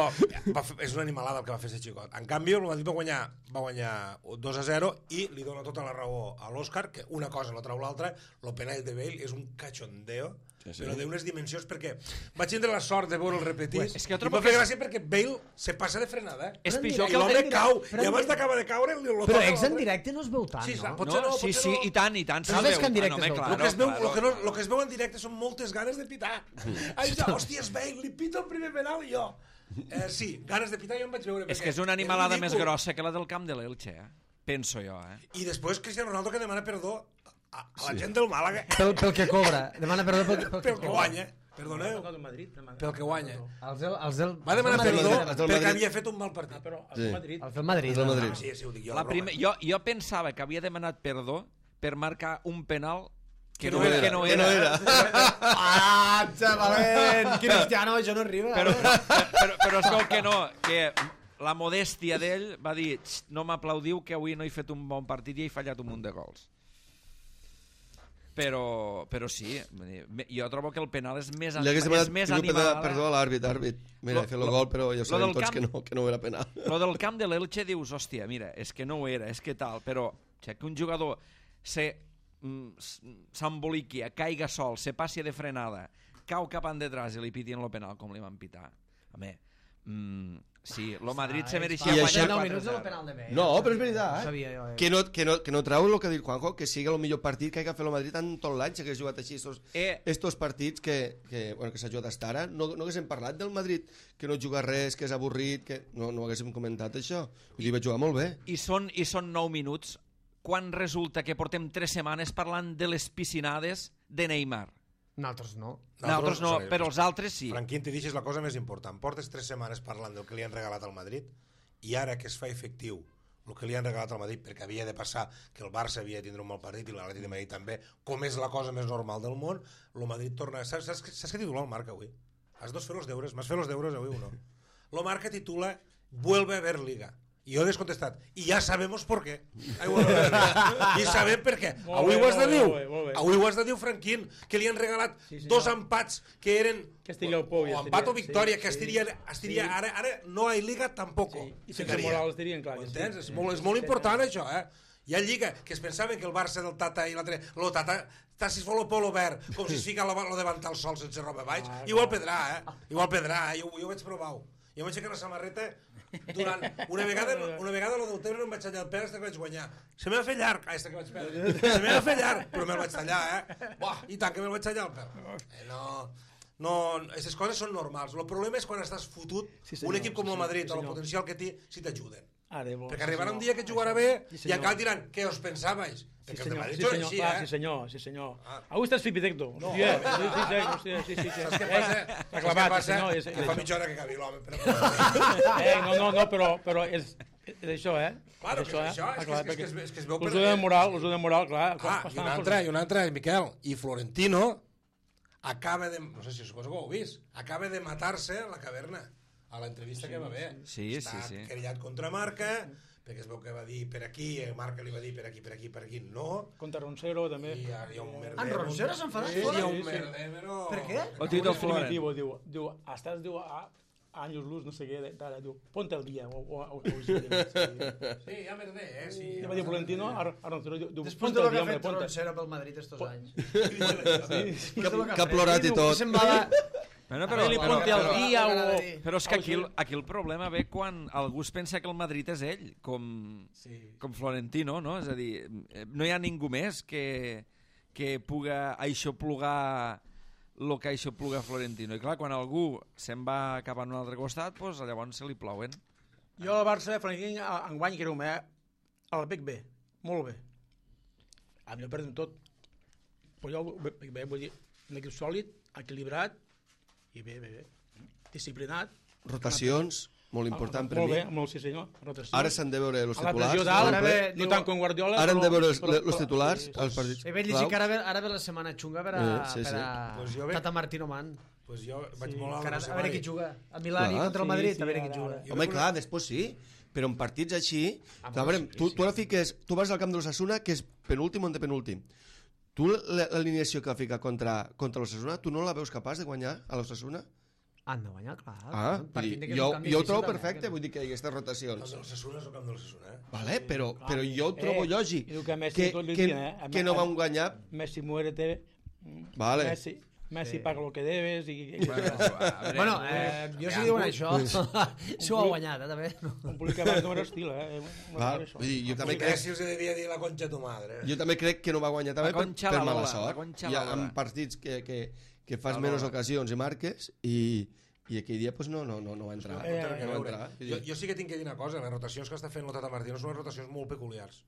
va fer, és una animalada el que va fer aquest xicot. En canvi, el Madrid va guanyar, va guanyar dos a zero i li dona tota la raó a l'Òscar, que una cosa no trau l'altra. El penal de Bale és un cachondeo, sí, sí. però d'unes dimensions, perquè vaig tindre la sort de veure el repetit, Pues, és que jo i trobo va fer que és- gràcia perquè Bale se passa de frenada, eh? És Però pitjor I que el l'home en cau, directe, però i en abans directe- d'acabar de caure li lo Però toca ex en l'altre. directe no es veu tant, Sí, no? potser no, sí, potser sí, no. i tant, i tant. Però se ves veu. que en directe Bueno, es veu. home, El que, es veu, claro, lo, que no, claro. lo que es veu en directe són moltes ganes de pitar. Ai, ja, hòstia, és Bale, li pito el primer penal i jo. Eh, sí, ganes de pitar jo em vaig veure. És perquè que és una animalada és més ridícul. grossa que la del camp de l'Elche, eh? Penso jo, eh? I després Cristiano Ronaldo que demana perdó a, a la gent del Màlaga Pel, pel que cobra. Demana perdó pel, pel, pel que guanya. Perdoneu, del Madrid. del Madrid. pel que guanya. Els del, els del, Va demanar els del perdó Madrid. els del perquè Madrid. havia fet un mal Ah, partit. però el Sí. del Madrid. Els del Madrid. Els del no? Madrid. Ah, sí, sí, ho dic jo. La la primer, broma. jo, jo pensava que havia demanat perdó per marcar un penal que, Que no, no era, que no que era. no era. Ah, xavalent! Cristiano, això no arriba. Però, eh? però, però és que no, que la modèstia d'ell va dir "Xt, no m'aplaudiu que avui no he fet un bon partit i he fallat un munt de gols. Però, però sí, vull dir, me- jo trobo que el penal és més, Li hagués és demanat més pido animal. perdó, perdó a l'àrbit, àrbit. Mira, Lo- he fet el lo- gol, però ja lo sabem del tots camp- que no, que no era penal. Lo del camp de l'Elche dius, hòstia, mira, és que no ho era, és que tal, però ja que un jugador se mm, s- s'emboliqui, caiga sol, se passi de frenada, cau cap endetràs i li pitien el penal com li van pitar. Home, mm, sí, lo Madrid se mereixia I guanyar això- nou quatre minuts del zero. penal de Bale. No, però és veritat, No eh? sabia jo, eh? Que no, que, no, que no trau el que ha dit Juanjo, que sigui el millor partit que hagi fet el Madrid en tot l'any, si hagués jugat així estos, Eh. estos partits que, que, bueno, que s'ha jugat hasta ara. No, no haguéssim parlat del Madrid, que no juga res, que és avorrit, que no, no haguéssim comentat això. Vull dir, va jugar molt bé. I són, I són nou minuts quan resulta que portem tres setmanes parlant de les piscinades de Neymar. Nosaltres no. Nosaltres no, sorry, però els altres sí. Franquín, t'hi deixes la cosa més important. Portes tres setmanes parlant del que li han regalat al Madrid i ara que es fa efectiu el que li han regalat al Madrid, perquè havia de passar que el Barça havia de tindre un mal partit i l'Atlètic de Madrid també, com és la cosa més normal del món, el Madrid torna... Saps, saps, saps què titula el Marca avui? Has de fer els deures. M'has fet els deures avui o no? El Marca titula Vuelve a haber Liga. I jo he descontestat. I ja sabemos por qué. Ai, vuelve a haber Liga. I sabem per què. Molt Avui bé, ho has de molt bé, dir. molt bé, molt bé. Avui ho has de dir, Franquín, que li han regalat Sí, senyor. dos empats que eren... Castilla o Pou, ja o empat estaria. o victòria, Sí, que sí. estiria, estiria Sí. ara, ara no hi Liga tampoco. Sí. I sense Ficaria. Morales dirien clar Ho que sí. entens? És Sí. molt, és molt important això, eh? Hi ha Lliga, que es pensaven que el Barça del Tata i l'altre... Lo Tata, Tata si es vol el polo verd, com si es fica lo, lo davantal sol sense roba baix. Ah, Igual pedrà, eh? Igual pedrà, eh? Jo, jo ho vaig provar. Jo em vaig aixecar la samarreta durant... Una vegada, una vegada lo del Tebre no em vaig tallar el pèl fins que vaig guanyar. Se m'ha fet llarg. Ai, que vaig perdre. Se m'ha fet llarg, però me'l vaig tallar, eh? Buah, i tant que me'l vaig tallar el pèl. Eh, no... No, aquestes coses són normals. El problema és quan estàs fotut, sí, senyor, un equip com el Madrid, sí, o el potencial que té, si t'ajuden. Bo, perquè sí, arribarà senyor. un dia que jugarà bé sí, i encara diran, què us pensàveix? Sí, perquè senyor, el sí, de senyor, així, clar, eh? sí, senyor, sí, senyor. Ah. Avui estàs fipitecto. No, hòstia, no, sí, sí, sí, hòstia, sí, sí, sí. Saps què passa? T'ha Saps què clavat, passa? senyor. És, Que és, fa mitja hora que acabi l'home. Però... eh, no, no, no, però, però és, és això, eh? Claro, és això, que és això, eh? és que, és, que, és, que, és que es veu Us ho de moral, us ho de moral, clar. Ah, i una altra, i una altra, Miquel, i Florentino acaba de, no sé si suposo que ho heu vist, acaba de matar-se a la caverna, a l'entrevista sí, que va haver. Sí, Està sí, sí. querellat contra Marca, perquè es veu que va dir per aquí, Marca li va dir per aquí, per aquí, per aquí, no. Contra Roncero, també. I hi ha, hi ha un merder. En Roncero s'ha enfadat Sí, fora? hi ha un Sí, sí. merder, però... Per què? O Tito Florent. Diu, diu, diu, estàs, diu, a años luz, no sé què, d'ara, diu, ponte al dia, o, o, o, o sí, Sí, hi ha merder, eh? Sí, I va dir Florentino a, a Roncero, diu, Després ponte de al lo que dia, ha hombre, fet ponte. Roncero pel Madrid estos anys. Que, que ha plorat i tot. Semblava... Bueno, Però, però, li però, ponte al però, dia o... però és que aquí, el- aquí el problema ve quan algú es pensa que el Madrid és ell, com, Sí. com Florentino, no? És a dir, eh, no hi ha ningú més que, que puga aixoplugar el que aixopluga Florentino. I clar, quan algú se'n va cap a un altre costat, doncs llavors se li plouen. Jo al Barça, Franquín, enguany que era un eh? El bec bé, molt bé. A mi no perdem tot. Però jo, bé, bé, vull dir, un equip sòlid, equilibrat, i bé, bé, bé. Disciplinat. Rotacions, molt important per molt mi. Bé, molt sí senyor, rotació. Ara s'han de veure els A la titulars. pressió dalt, Ara ve, no diu- tant com Guardiola, Ara hem de veure els, però- els titulars, sí, els partits. He vist llegir que ara ve, ara ve la setmana xunga per a, Eh, sí, per sí. a Pues jo ve- Tata Martino Man. Pues jo vaig Sí, molt a Que ara, la a veure qui juga. A Milà i Clar. contra el Sí, Madrid, sí, a veure ara, qui juga. ara. Home, clar, després sí, però en partits així... Ah, clar, però veurem, sí, tu, sí. tu ara fiques... Tu vas al camp de l'Ossassuna, que és penúltim o antepenúltim. Tu l- l'alineació que fica contra, contra l'Ossassuna, tu no la veus capaç de guanyar a l'Ossassuna? Han de guanyar, clar. Ah, vull Partint dir, que és jo, un camp jo ho difícil trobo també, perfecte, que no. vull dir que hi ha aquestes El rotacions. del Sassuna és el camp del Sassuna, eh? Vale, però, clar. però jo ho trobo Eh, lògic, i diu que Messi que, tot li que, diuen, eh? que no vam guanyar... Messi, muérete. Vale. Messi, Messi Sí. paga lo que debes. I, Bueno, a veure, Bueno, eh, jo si diuen això, si ho ha guanyat, eh, també. un públic que abans no era estil, eh? No Val, era això. vull dir, jo també I crec, Messi us devia dir la concha tu madre. jo també crec que no va guanyar també La per, conxa per la mala Lola, sort. la conxa Hi ha la Lola. en partits que, que, que fas La menys Lola. ocasions i marques i, i aquell dia pues, no, no, no, no va entrar. Eh, No té res a no va veure. entrar. Vull Jo, dir, jo sí que tinc que dir una cosa, les rotacions que està fent el Tata Martino són unes rotacions molt peculiars.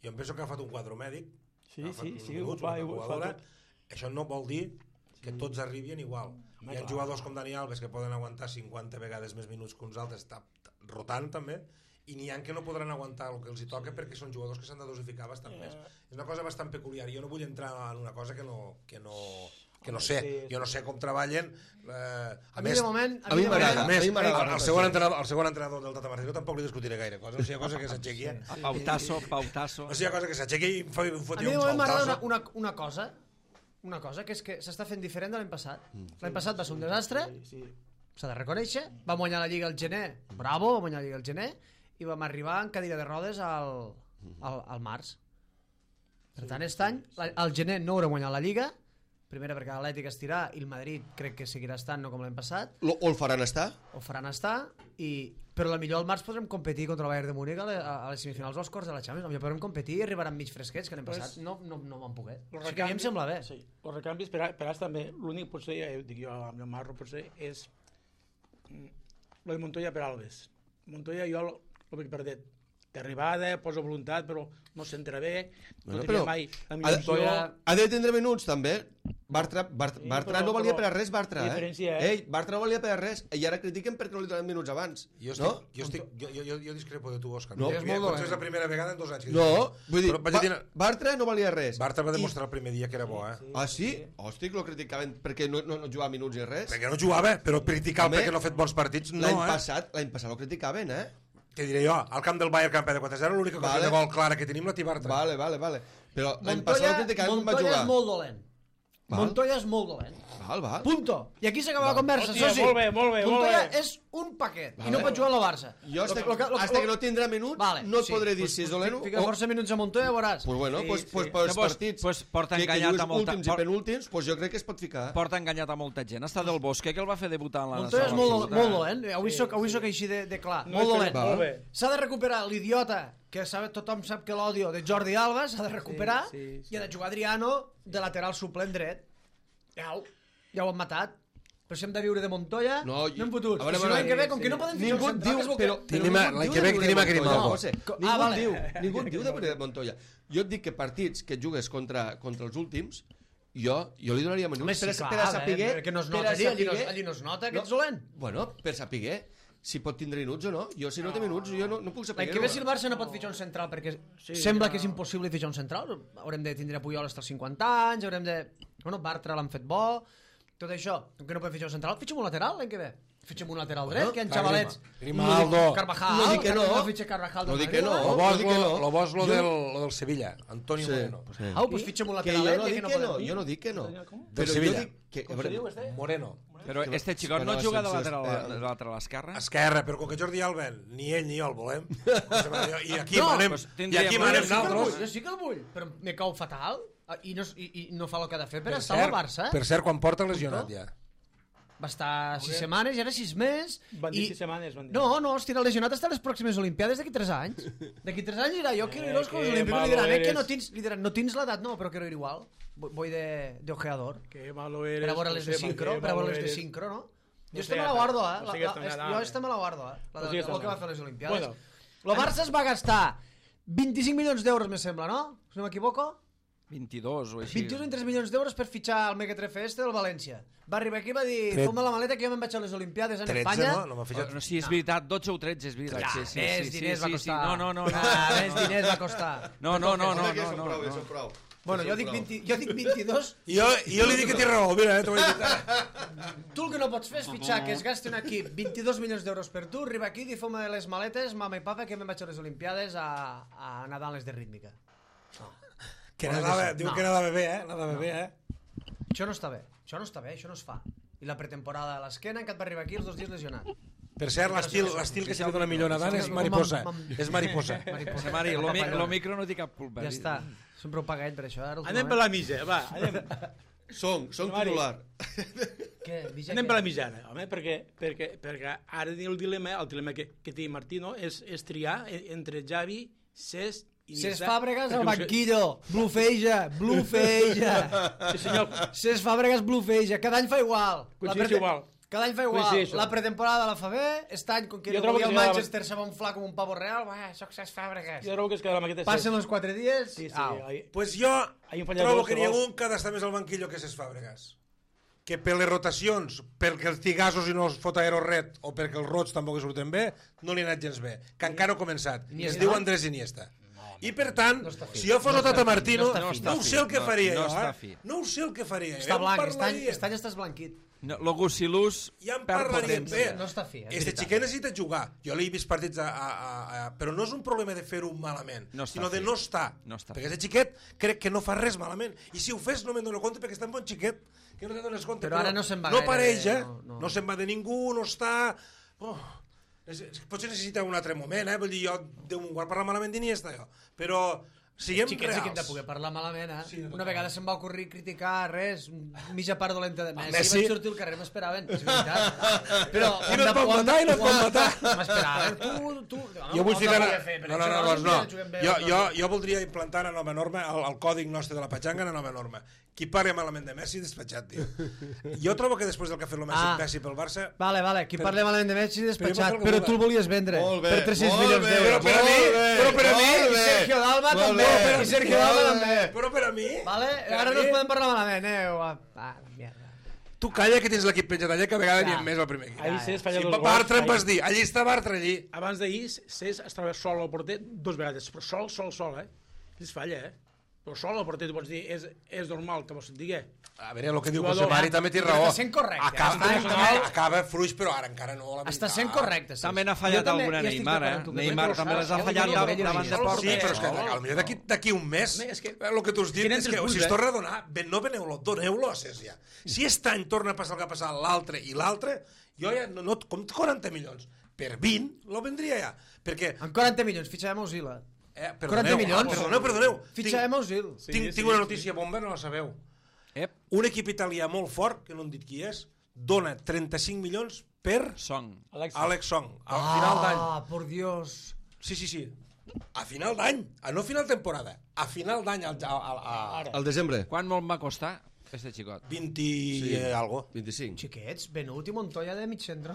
Jo em penso que ha agafat un quadre mèdic, Sí, ha agafat sí, uns sí, minuts, ho fa, una ho fa jugadora. tot. Això no vol dir que tots arribin igual. Home, Hi ha clar. jugadors com Dani Alves que poden aguantar cinquanta vegades més minuts que uns altres, està rotant també, i n'hi ha que no podran aguantar el que els hi toca perquè són jugadors que s'han de dosificar bastant més. És una cosa bastant peculiar. Jo no vull entrar en una cosa que no, que no, que no sé. Sí, Jo no sé com treballen. Eh, A mi de moment... a mi de m'agrada. moment- a més, a mi m'agrada el, la el, segon entrenador, el segon entrenador del Tata Martino tampoc li discutiré gaire cosa. No sigui cosa que s'aixequi. eh? Pautasso, pautasso. No sigui cosa que s'aixequi i em fa- em A foti mi de un moment m'agrada faltazo. una, una, una cosa, una cosa, que és que s'està fent diferent de l'any passat. L'any passat va ser un desastre, Sí, sí. s'ha de reconèixer, vam guanyar la Lliga al gener, bravo, vam guanyar la Lliga al gener, i vam arribar en cadira de rodes al, al, al març. Per tant, aquest any, la- al gener no haurem guanyat la Lliga, primera perquè l'Atlètic estirà i el Madrid crec que seguirà estant, no com l'any passat, Lo- o el faran estar? ho faran estar, i, però la millor al març podrem competir contra el Bayern de Múnich a, le, a les semifinals o als quarts de la Champions. Potser podrem competir i arribaran mig fresquets, que l'any Pues- passat no, no, no van poder. Els O sigui que a mi em sembla bé. Sí, els recanvis per, a- per ara també, l'únic potser, ja ho dic jo amb el Marro, potser és mm, lo de Montoya per Alves. Montoya jo el, el veig perdet. D'arribada, posa voluntat, però no s'entra bé, no Bueno, tenia però mai la ha millor de- opció. Montoya- Ha de tindre minuts també. Bartra, Bart, Sí, Bartra però- no valia però per a res, Bartra, la eh? diferència, eh? Ei, Bartra no valia per a res. I ara critiquen perquè no li donen minuts abans. Jo, estic, no? jo, estic, jo, jo, jo discrepo de tu, Òscar. No. Potser És molt dolent. és la primera vegada en dos anys que No, discrepo. vull dir, Però vaig Ba- dir, Bartra no valia res. Bartra va I- demostrar el primer dia que era bo, eh? Ah, sí? Hòstic, lo criticaven perquè no, no, no jugava minuts ni res. Perquè no jugava, però criticar Home, perquè no ha fet bons partits, no, L'any eh? passat, l'any passat lo criticaven, eh? Què diré jo? Al camp del Bayern campió de quatre zero, l'única cosa Vale. de gol clara que tenim la té Bartra. Vale, vale, vale. Però l'any passat Montoya, lo criticaven quan va Montoya jugar. és molt dolent. Montoya és molt dolent. Val, val. Punto. I aquí s'acaba la conversa, Hòstia, soci. molt bé, molt bé, molt Montoya bé. és un paquet i no pot jugar a la Barça. Jo hasta, Lo que- lo que- hasta que no tindrà minuts Vale, no et sí. podré dir Pues- si és pues dolent o... Fica força minuts a Montoya, veuràs. Pues bueno, Sí, pues, sí. pues, pues, No, pues- partits pues porta que, que enganyat juguis a molta- últims i por- penúltims, pues jo crec que es pot ficar. Porta enganyat a molta gent. Està del Bosque, que el va fer debutar en la Montoya és sala molt, absoluta. molt dolent. Avui soc, avui soc així de, de clar. No, Molt és que- dolent. molt bé. S'ha de recuperar l'idiota, que sabe, tothom sap que l'odio, de Jordi Alba, s'ha de recuperar Sí, sí, sí. i ha de jugar Adriano de lateral suplent dret. Ja ho, ja ho han matat. Però si hem de viure de Montoya, No, no hem fotut. a veure, I si a no veure, l'any que ve, sí, com sí. que no poden fitxar Ningú un et central, diu, que és el però, que- però Tenim a- ningú et l'any diu que ve de tenim a Montoya, Grimaldo. José. Co- Ningú ah, et vale. diu, ningú et diu de de Montoya. Jo et dic que partits que jugues contra, contra els últims, jo, jo li donaria minuts Home, sí, per, a- clar, per a eh, saber... perquè no es per a nota, allí, allí, no, saber- allí no es nota que No. ets dolent. Bueno, per saber si pot tindre minuts o no. Jo, si no té minuts, jo no, no puc saber. L'any que ve si el Barça no pot fitxar un central perquè Sí, sembla no. que és impossible fitxar un central, haurem de tindre Puyol fins als cinquanta anys, haurem de... Bueno, Bartra l'han fet bo, tot això, com que no podem fitxar un central, fitxem un lateral l'any que ve. Fitxem un lateral dret, que hi ha clar, xavalets. Grimaldo. Carvajal, No dic que no. va fitxar Carvajal No del dic que Madrid, no. Lo va? bo és dic que lo, no. lo, bo és lo, Jo- del, lo del Sevilla, Antonio Sí, Moreno. sí. Au, doncs fitxem un Que lateral jo dret, no ja dic que no que no, podem. jo no dic que no. Com? Del Però jo Sevilla. dic que... Com se diu, este? Moreno. Però este xicot que no no, juga de sense- lateral, eh, de lateral esquerre? Esquerra, però com que Jordi Alba ni ell ni jo el volem, i aquí No, manem, pues i tindríem- aquí Jo manem Jo sí que el vull, nosaltres. jo sí que el vull, però me cau fatal i no, i, i no fa el que ha de fer per Per estar al cert, Barça. per cert, quan porta lesionat Punto. ja. Va estar sis setmanes i ara sis més. Van dir sis setmanes, van dir. No, no, estirà lesionat hasta les pròximes Olimpiades d'aquí tres anys. D'aquí tres anys dirà, jo quiero ir a los Eh, Juegos que Olímpicos. Li malo diran, eh, que eres. no tens, li diran, no tens l'edat, no, però quiero ir igual. Voy de, de ojeador. Que malo eres. Per a veure les de Josema, sincro, que per a veure malo les de eres. sincro, no? Jo No esta me sigues la guardo, eh? tan- La, no sigues la, tan és- gran, jo eh? esta me la guardo, eh? La No de, sigues el tan que va gran. fer les Olimpiades. Bueno. Lo Barça es va gastar vint-i-cinc milions d'euros, me sembla, no? Si no m'equivoco. vint-i-dos o així. vint-i-dos o tres milions d'euros per fitxar el Mequetrefe este del València. Va arribar aquí i va dir, Tret- fom la maleta que jo me'n vaig a les Olimpiades en tretze, Espanya. no? No m'ha fitxat. No, sí, és veritat, dotze o tretze, és veritat. Ja, sí, sí, més sí, sí, diners sí, va sí. costar. No, no, no. no. Ah, més diners va costar. No, no, no, no, Home, que no, són no, prou, que no. són prou. Bueno, jo dic, vint, jo dic vint-i-dos. I jo, i jo li dic que té raó, mira, eh, t'ho vaig dir. Tu el que no pots fer és fitxar que es gasti un equip vint-i-dos milions d'euros per tu, arriba aquí, di fom les maletes, mama i papa, que me'n vaig a les Olimpiades a, a nedar en les de rítmica. Que nadava, diu No. que nadava bé, eh? Nadava bé, eh? Això no està bé, això no està bé, això no es fa. I la pretemporada a l'esquena, en què et va arribar aquí els dos dies lesionat. Per cert, l'estil l'estil que se li dona millor nedant és mariposa. Mam- mam- És mariposa. Mariposa. Mari, lo, mi- lo micro no té cap culpa. Ja està, sempre ho paguet per això. Ara, Anem per la mitja, va, anem, Som, som Mari. titular. Què? Vija anem què? per la mitjana, home, perquè, perquè, perquè ara el dilema, el dilema que, que té Martino és, és triar e- entre Xavi, Cesc i Cesc Iniesta, Fàbregas perquè al ho sé- banquillo, blufeja, blufeja. Sí, senyor, Cesc Fàbregas blufeja, cada any fa igual. La Coincideix prete- igual. Cada any fa igual. Coincideixo. La pretemporada la fa bé, aquest any, com que Jo no trobo volia que el sí, Manchester se va inflar com un pavo real, va, soc Cesc Fàbregas. jo trobo que es queda la maqueta Passen els quatre dies, Sí, sí, au. ahí- Pues jo Hay un fallador trobo que que n'hi ha vol- un que ha d'estar més al banquillo que ses Fàbregas. Que per les rotacions, perquè els tigassos i no els fot aeroret, o perquè els rots tampoc hi surten bé, no li ha anat gens bé. Que encara no ha començat. I es Iniesta. diu Andrés Iniesta. I per tant, No està fi. si jo fos el Tata Martino, no està no, fi. no ho sé el que No- faria no jo, està eh? fi. No ho sé el que faria. Està Ja en blanc, aquest any, parlaríem. aquest any estàs blanquit. No, lo Gusilús Ja en perd parlaríem potència. bé. No està fi, és Este veritat. xiquet necessita jugar. Jo l'he vist partits a, a, a, a... Però no és un problema de fer-ho malament, No està sinó de fi. no estar. No està perquè fi. aquest xiquet crec que no fa res malament. I si ho fes no me'n dono compte perquè està un bon xiquet que no te'n dones compte. Però ara no se'n va No gaire, apareix, eh? no, No, no. no se'n va de ningú, no està... Oh, és- potser necessita un altre moment, eh? Vull dir, jo Déu me'n guard parlar malament d'Iniesta, jo. Però siguem Xiquets sí que hem de reals. poder parlar malament, eh? Sí, no, Una vegada se'm va ocorrir criticar res, mitja part dolenta de Messi, Messi. vaig sortir al carrer, m'esperaven, és veritat. Però I no et van matar, i no et van matar. M'esperaven, tu, tu... Jo vull ficar... No, No, no, no, no, no. Jo, jo, jo voldria implantar una nova norma, el, el còdic nostre de la patxanga, una nova norma. Qui parli malament de Messi, despatxat, tio. Jo trobo que després del que ha fet el Messi, Ah. Messi pel Barça... Vale, vale, qui Però- parla malament de Messi despatxat, Però jo però me'l tu el volies vendre Molt bé, per tres-cents molt milions bé, d'euros. Però per a mi, molt bé, però per a mi, molt I bé. Sergio Dalma Molt també, bé, i Sergio Dalma molt també. bé. Però per a mi... Vale? per a Ara no mi- es podem parlar malament, eh? Ah, ah, mierda. Tu calla que tens l'equip penjat allà, que a vegades Ja. n'hi ha més al primer equip. ahir Cesc falla Si dos gols. Bartra em vas Ahir- dir, allí està Bartra, allí. Abans d'ahir, Cesc es troba sol al porter dos vegades, però sol, sol, sol, eh? I es falla, eh? però sol el partit, pots dir, és, és normal que vos digui. A veure, el que diu Jugador. José Mari també té Però raó. està sent correcte, Acaba, està acaba, acaba fluix, però ara encara no l'ha Està veritat. sent correcte. sí. També n'ha Jo fallat també alguna hi estic Neymar, d'acord eh? amb tu. Neymar Però, també les ha ja ho fallat diria, davant ja ho davant de diria. porta. Sí, però és que Sol. potser d'aquí d'aquí un mes, Home, és que- el que tu has dit Tenen és que tres si punts, es eh? torna a donar, ben, no veneu-lo, doneu-lo a Cés ja. Si aquest any torna a passar el que ha passat l'altre i l'altre, jo ja, no, no, com quaranta milions, per vint, lo vendria ja. Perquè, Amb quaranta milions, fitxarem Ozil. eh, quaranta perdoneu, milions? ah, perdoneu, perdoneu. Fitxarem Ozil. Tinc, tinc, tinc una notícia bomba, no la sabeu. Ep, Un equip italià molt fort, que no hem dit qui és, dona trenta-cinc milions per Song. Alex, Alex Song, a final d'any. Ah, por Dios. Sí, sí, sí. A final d'any, a no final temporada, a final d'any, al- a, a, a, Al desembre, Quan molt va costar, este xicot? vint i eh, algo. vint-i-cinc. Xiquets, Benut i Montoya de mig centre.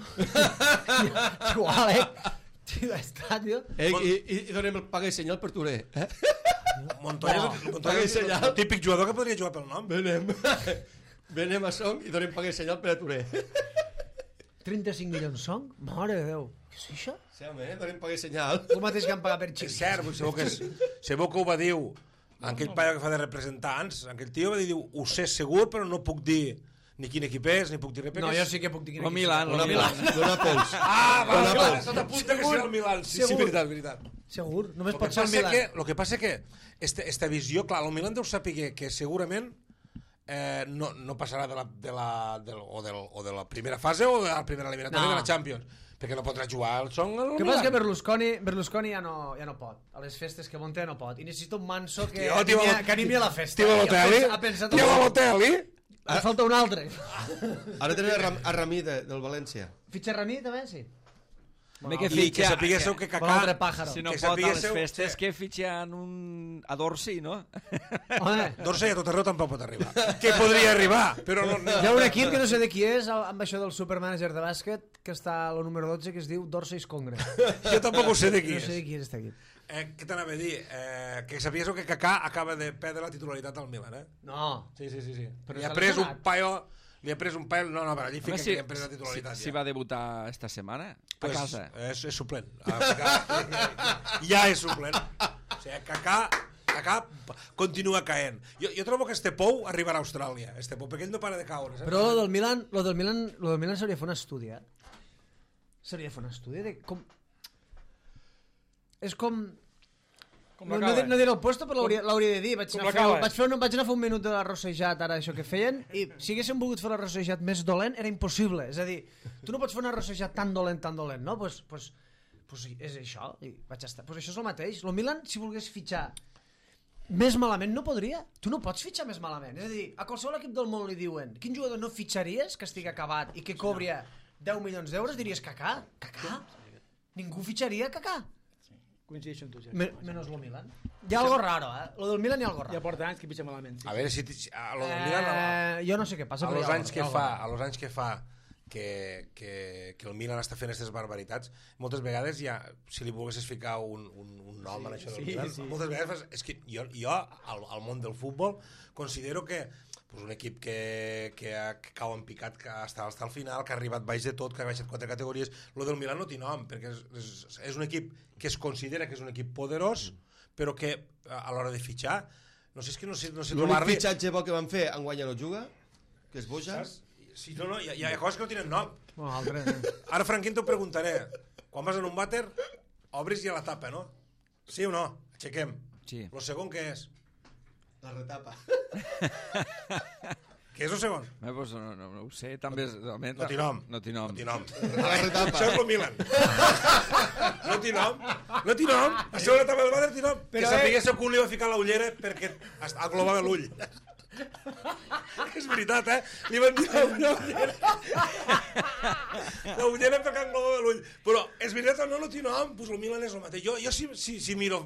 Igual, eh? Tio, està, tio. Eh, i, i, I donem el paga i senyal per Touré. Eh? Montoya, No. Montoya Paga i és senyal. el típic jugador que podria jugar pel nom. Venem. Venem a Song i donem paga i senyal per a Touré. trenta-cinc milions són? Mare de Déu. Què és això? Sí, home, eh? Donem paga i senyal. El mateix que han pagat per És xics. cert, segur que, és, segur que ho va dir aquell paio que fa de representants, aquell tio va dir, diu, ho sé segur, però no puc dir ni quin equip és, ni puc dir res. No, jo sí que puc dir quin Lo equip Milan, serà. lo Milan. Dona pols. Ah, va, Dona va, pols. tot apunta que serà el Milan. Sí, sí, Segur. veritat, veritat. Segur, només Lo que pot ser el passa Milan. que, lo que passa que esta, esta visió, clar, el Milan deu saber que segurament eh, no, no passarà de la, de la, del, o, del, o de la primera fase o de la primera eliminatòria No. de la Champions, perquè no podrà jugar el Song al El que passa és que Milan. Berlusconi, Berlusconi ja, no, ja no pot. A les festes que munta ja no pot. I necessita un manso que, Tio, tio, animi, a- Balo- que animi a la festa. Tio I ha Balotelli, pensat- Ha pensat... tio Balotelli. Em falta un altre. Ara tenim a, Ram, a Ramí de, del València. Fitxa Ramí, també, sí. Bé, que I que fitxa... sapiguéssiu que Un altre Kaká... pàjaro. Si no que pot a les sapiguéssiu- festes, sí. que fitxen un... a Dorsi, no? Home, Dorsey a tot arreu tampoc pot arribar. Que podria arribar, però no... no. hi ha un equip que no sé de qui és, el- amb això del supermanager de bàsquet, que està a lo número dotze, que es diu Dorsey's Congress. Jo tampoc ho sé de qui No sé de és. qui és este equip. Eh, què t'anava a dir? Eh, que sabies que Kaká acaba de perdre la titularitat al Milan, eh? No. Sí, sí, sí. sí. Però Li ha s'ha pres un lesionat. paio... Li ha pres un paio... No, no, però allí Home, fica si, que li ha pres la titularitat. si, si va debutar esta setmana, a pues, casa. És, és suplent. Ah, Kaká, ja és suplent. O sigui, Kaká, Kaká continua caent. Jo, jo trobo que este pou arribarà a Austràlia, este pou, perquè ell no para de caure. Saps? Però lo del Milan, lo del Milan, lo del Milan s'hauria de fer un estudi, eh? S'hauria de fer un estudi de com... És com... Com No, la no, cava. di- no diré el puesto, però l'hauria l'hauria de dir. Vaig Com anar, a la fer, cava. vaig, fer un, vaig anar a fer un minut de l'arrossejat, ara, això que feien, i si haguéssim volgut fer l'arrossejat més dolent, era impossible. És a dir, tu no pots fer un arrossejat tan dolent, tan dolent, no? Pues, pues, pues és això, i vaig estar. Pues això és el mateix. El Milan, si volgués fitxar més malament, no podria. Tu no pots fitxar més malament. És a dir, a qualsevol equip del món li diuen quin jugador no fitxaries que estigui acabat i que cobria deu milions d'euros, diries Kaká. Kaká? Ningú fitxaria Kaká. Coincideixo amb tu, ja. Me, menos lo Milan. Hi ha algo raro, eh? Lo del Milan hi ha algo Ja raro. porta anys que pitja malament. Sí. A veure si... si a lo del Milan... A, Eh, jo no sé què passa, a però los hi ha anys algo- que hi ha algo fa, raro. a los anys que fa que, que, que el Milan està fent aquestes barbaritats, moltes vegades ja, si li volguessis ficar un, un, un nom sí, en això del sí, Milan, sí. moltes vegades fas, és que jo, jo al, al món del futbol considero que pues, un equip que, que, ha, que cau en picat que està, està al final, que ha arribat baix de tot, que ha baixat quatre categories, lo del Milan no té nom, perquè és, és, és un equip que es considera que és un equip poderós, però que a, a l'hora de fitxar, no sé, és que no sé, no sé L'únic trobar-li... fitxatge bo que van fer enguany ja no juga, que és Boja. Saps? Sí, no, no, hi ha, hi ha coses que no tenen nom. Bueno, altre, eh. Ara, Franquín, t'ho preguntaré. Quan vas en un vàter, obris ja la tapa, no? Sí o no? Aixequem. Sí. Lo segon què és? La retapa. Què és el segon? Eh, pues, no, no, no ho sé, també... És, també, No té nom. No té nom. No té nom. La retapa. Això és el Milan. No té nom. No té nom. Això és la tapa del vàter, té nom. Però, que eh- sapiguéssiu que un li va ficar la ullera perquè es- aglobava l'ull. És veritat, eh? Li van dir la ullera. La ullera perquè englobava l'ull. Però és veritat o no, no té nom? Pues el Milan és el mateix. Jo, jo si, si, si miro,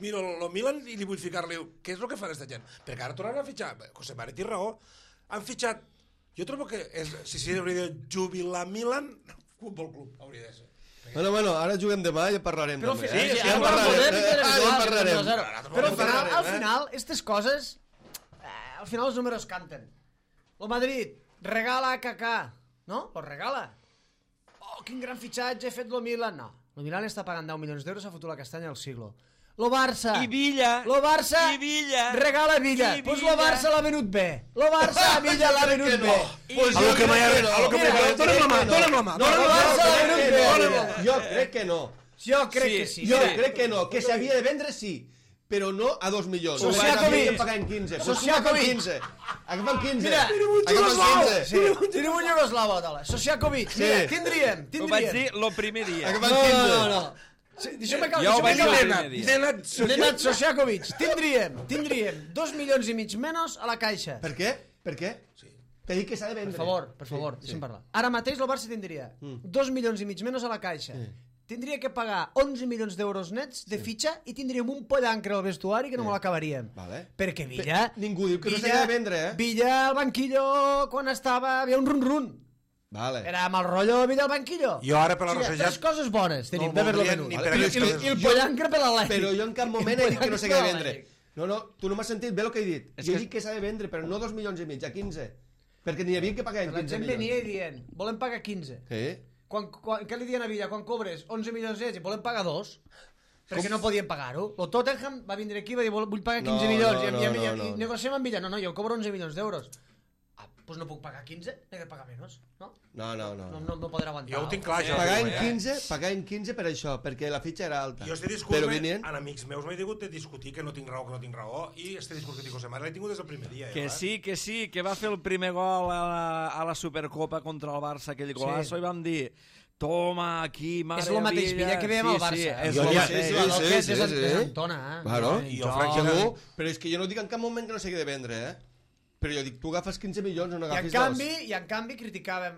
miro el Milan i li vull ficar-li què és el que fa aquesta gent? Perquè ara tornaran a fitxar. José Mari té raó. Han fitxat... Jo trobo que és, si si hauria de jubilar Milan, Futbol Club hauria de ser. Bueno, bueno, ara juguem demà i ja parlarem. Però al també, final, eh? sí, Ja en ara parlarem. podem, eh? és Ah, ja en igual, parlarem. dos a zero. Ara Però al final, parlarem, al eh? final, aquestes coses, eh, al final els números canten. El Madrid regala a Kaká, no? Lo regala. Oh, quin gran fitxatge ha fet el Milan. No, el Milan està pagant deu milions d'euros, ha fotut la castanya al siglo. Lo Barça. I Villa. Lo Barça. I Villa. Regala Villa. I Pues Villa. lo Barça l'ha venut bé. Lo Barça a Villa l'ha venut bé. Pues A lo que m'ha a lo que Mira, m'ha dóna'm la mà, dóna'm la mà. No, no, Jo Barça l'ha crec venut que bé. no, Villa. Jo crec que no. Jo crec Sí, que sí. Jo Mira, crec que no, que s'havia de vendre sí, però no a dos milions. Sociakovic. Que paguen quinze. Pues Sociakovic. quinze. Agafen quinze. Mira, Agafen quinze. sí, tenim un Iugoslavo, dala. Sociakovic. Mira, Sí. tindríem, Ho vaig tindríem. dir lo primer dia. Agafen No, quinze. no, no. Sí, deixa'm acabar, Jo ho deixa'm vaig dir acabar. el primer dia. Nenat, Nenad Sociakovic, tindríem, tindríem dos milions i mig menys a la caixa. Per què? Per què? Sí. Per dir que s'ha de vendre. Per favor, per favor, deixa'm parlar. Ara mateix el Barça tindria dos milions i mig menys a la caixa. Tindria que pagar onze milions d'euros nets de fitxa i tindríem un pollancre al vestuari que no me l'acabaríem. Vale. Perquè Villa... Pe- ningú diu que no Villa- s'havia de vendre, eh? Villa al banquillo, quan estava, havia un run-run. Vale. Era mal rotllo Villa al banquillo. Jo ara per la O sigui, rossejat... tres coses bones tenim No el d'haver-lo voldrien venut. ni I, per i, aquestes i, coses. i el pollancre per l'Atlètic. Però jo en cap moment he dit que no s'havia de vendre. No, no, tu no m'has sentit bé el que he dit. És Jo he que- dit que s'ha de vendre, però no dos milions i mig, a quinze. Perquè n'hi havia que pagar La quinze gent milions. venia i dient, volem pagar quinze. Sí. Quan, quan, què li diuen a Villa? Quan cobres onze milions d'ells i volem pagar dos? Perquè no podien pagar-ho. El Tottenham va vindre aquí i va dir, "Vol- vull pagar quinze No, milions. no, I, no, i, i, no, i, no. i negociem amb Villa. No, no, jo cobro onze milions d'euros. Ah, doncs no puc pagar quinze, he de pagar menys. No? No, no, no. No, no, no podrà aguantar. Jo ho tinc clar, això. Pagar en eh? quinze, pagar en quinze per això, perquè la fitxa era alta. Jo este discurs, Però me, venien... en amics meus m'he tingut de discutir que no tinc raó, que no tinc raó, i este discurs que dic José Mare l'he tingut des del primer dia. Que jo, eh? sí, que sí, que va fer el primer gol a la, a la Supercopa contra el Barça, aquell golazo, Sí. i vam dir, toma, aquí, mare És el mateix Villa que veiem al Barça. Sí, eh? és Jo el ja- mateix. sí, El sí, que és, sí, és, sí. és Antona, eh? Claro. I jo, Jo- francament, Segur, però és que jo no dic en cap moment que no s'hagi de vendre, eh? Però jo dic, tu agafes quinze milions, no I en n'agafis canvi, dos. i en canvi criticàvem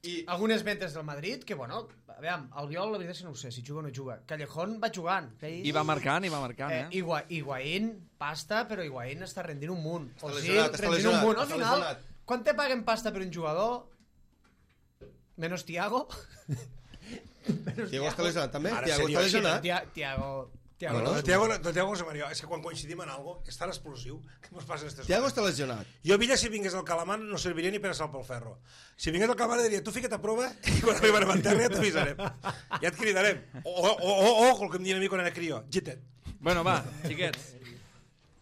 I... algunes ventes del Madrid, que bueno, aviam, el Viol la veritat és que no ho sé, si juga o no juga. Callejón va jugant. Que I va marcant, i va marcant, Eh, eh? Igua, Higuaín, pasta, però Higuaín està rendint un munt. Està Ozil, lesionat, està rendint lesionat, un munt. Al està final, lesionat. quan te paguen pasta per un jugador, menos Tiago... menos Tiago està lesionat també? Ara, Tiago seriós, està lesionat? Tia- Tiago... Tiago... Bueno, El Tiago, el Tiago José María, és que quan coincidim en algo, és tan explosiu que mos passen aquestes Tiago coses. està lesionat. Jo a Villa, si vingués al Calamar, no serviria ni per a sal pel ferro. Si vingués al Calamar, diria, tu fica't a prova i quan arribarem a terra ja t'avisarem. Ja et cridarem. O, o, o, o, el que em diuen a mi quan era crió, gitet. Bueno, va, xiquets,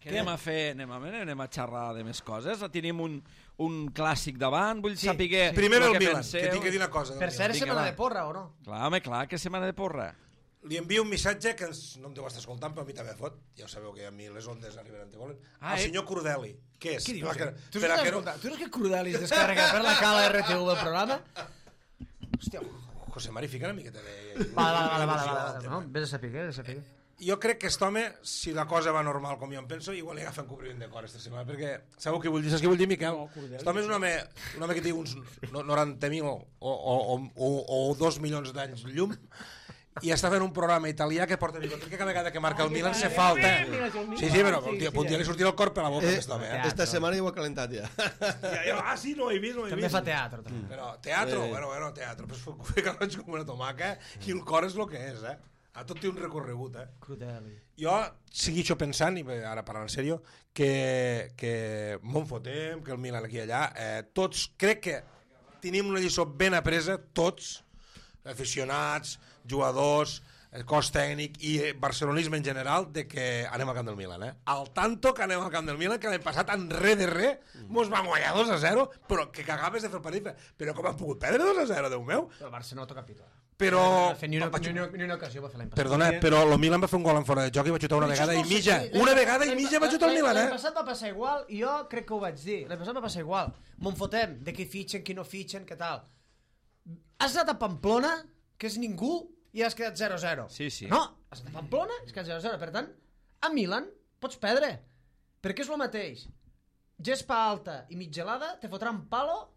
què anem a fer? Anem a, anem a xerrar de més coses? Tenim un, un clàssic davant, vull Sí, saber sí. Primer el el que Milan, penseu. que tinc que dir una cosa. del Per Milan. cert, Vinga, setmana va. de porra, o no? Clar, home, clar, que setmana de porra. Li envio un missatge que ens, no em deu estar escoltant, però a mi també fot. Ja ho sabeu que a mi les ondes arriben on volen. Ah, el eh? senyor Cordeli. Què és? Què dius? Per a que- Tu per a estàs que no- escoltant? Tu no és que Crudelis descarrega per la cala R T U del programa? Hòstia, José Mari, fica una miqueta de... vale, vale, vale, vale, il·lusió al vale, tema. no? Vés a saber, vés a saber. Jo crec que aquest home, si la cosa va normal com jo em penso, igual li agafen cobriment de cor esta setmana, perquè sabeu què vull dir? Saps què vull dir, Miquel? Aquest home és un home, un home que té uns no- noranta mil o, o, o, o, o dos milions d'anys llum i està fent un programa italià que porta bigoti, que cada vegada que marca el Milan se falta. Sí, sí, però un dia, un dia li sortirà el cor per la boca, Eh, aquest home. Eh? esta setmana ja ho ha calentat ja. Ja, ja, ah, sí, no ho he vist, no ho he També vist. fa teatre, també. Però teatro, Eh. bueno, bueno, teatro. Pues fica roig com una tomaca i el cor és el que és, eh? A tot té un recorregut, eh? Crudeli. Jo segueixo pensant, i ara parlant en sèrio, que, que m'on fotem, que el Milan aquí i allà, eh, tots, crec que tenim una lliçó ben apresa, tots, aficionats, jugadors, el cos tècnic i barcelonisme en general, de que anem al camp del Milan, eh? Al tanto que anem al camp del Milan, que l'any passat en re de re mos van guanyar dos a zero, però que cagaves de fer el partit. Però com han pogut perdre dos a zero, Déu meu? El Barça no toca capítol. Però... No fer ni una, ni, una, ni una ocasió va fer l'any passat. Perdona, però el Milan va fer un gol en fora de joc i va xutar una vegada i mitja. Una vegada i mitja va xutar el Milan, L'any eh? passat va passar igual, i jo crec que ho vaig dir. L'any passat va passar igual. Me'n fotem de qui fitxen, qui no fitxen, què tal. Has anat a Pamplona, que és ningú, i has quedat zero a zero. Sí, sí. No, has anat a Pamplona, has quedat zero a zero. Per tant, a Milan pots perdre. Perquè és el mateix. Gespa alta i mitgelada, te fotran palo,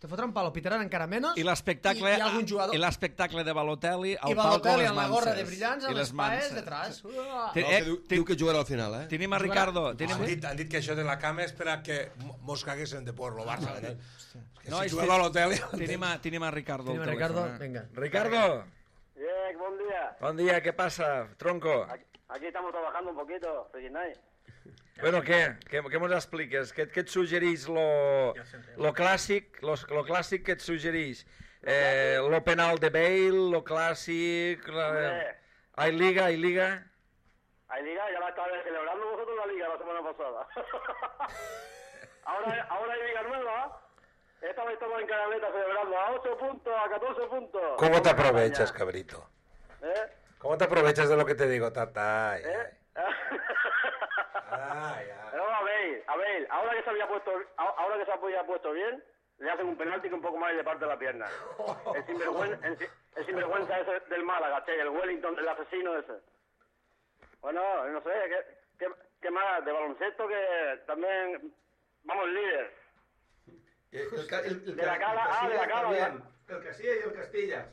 te fotran palo, pitaran encara menys, I l'espectacle i, i algun jugador... i l'espectacle de Balotelli al I palco Balotelli les amb la gorra manses. de brillants, I amb les paes manses. detrás. Te- No, eh, que diu, te- diu que jugarà al final, eh? Tenim a Ricardo. Tenim... Han dit, han dit que això de la cama és per a que mos caguessin de por, lo Barça. Eh? Que No, si és jugava que- a l'hotel... Tenim a, tenim a Ricardo Tenim al a Ricardo, telèfon, eh? venga. Ricardo, Bien, buen día. bon dia, què passa, tronco? Aquí, aquí estamos trabajando un poquito, Friki Night. Bueno, què? Què, què mos expliques? Què, què et suggerís lo, lo clàssic, lo, lo clàssic que et suggerís? Eh, lo penal de Bale, lo clàssic... La... Hombre. Hay liga, hay liga... Hay liga, ya la estabais celebrando vosotros la liga la semana pasada. ahora, ahora hay liga nueva. Esta vez estamos en Canaleta celebrando a ocho puntos, a catorce puntos. ¿Cómo te aprovechas, cabrito? ¿Eh? ¿Cómo te aprovechas de lo que te digo, tata? Ay, ¿Eh? ay, ay. Pero a ver, a ver, ahora que se había puesto, ahora que se había puesto bien, le hacen un penalti que un poco más y le parte la pierna. El sinvergüenza, el, el sinvergüenza ese del Málaga, che, el Wellington, el asesino ese. Bueno, no sé, ¿qué, qué, qué más? De baloncesto que también vamos líder. El, el, el, De la Cala, ah, de la Cala, ya. El Castilla y el Castillas.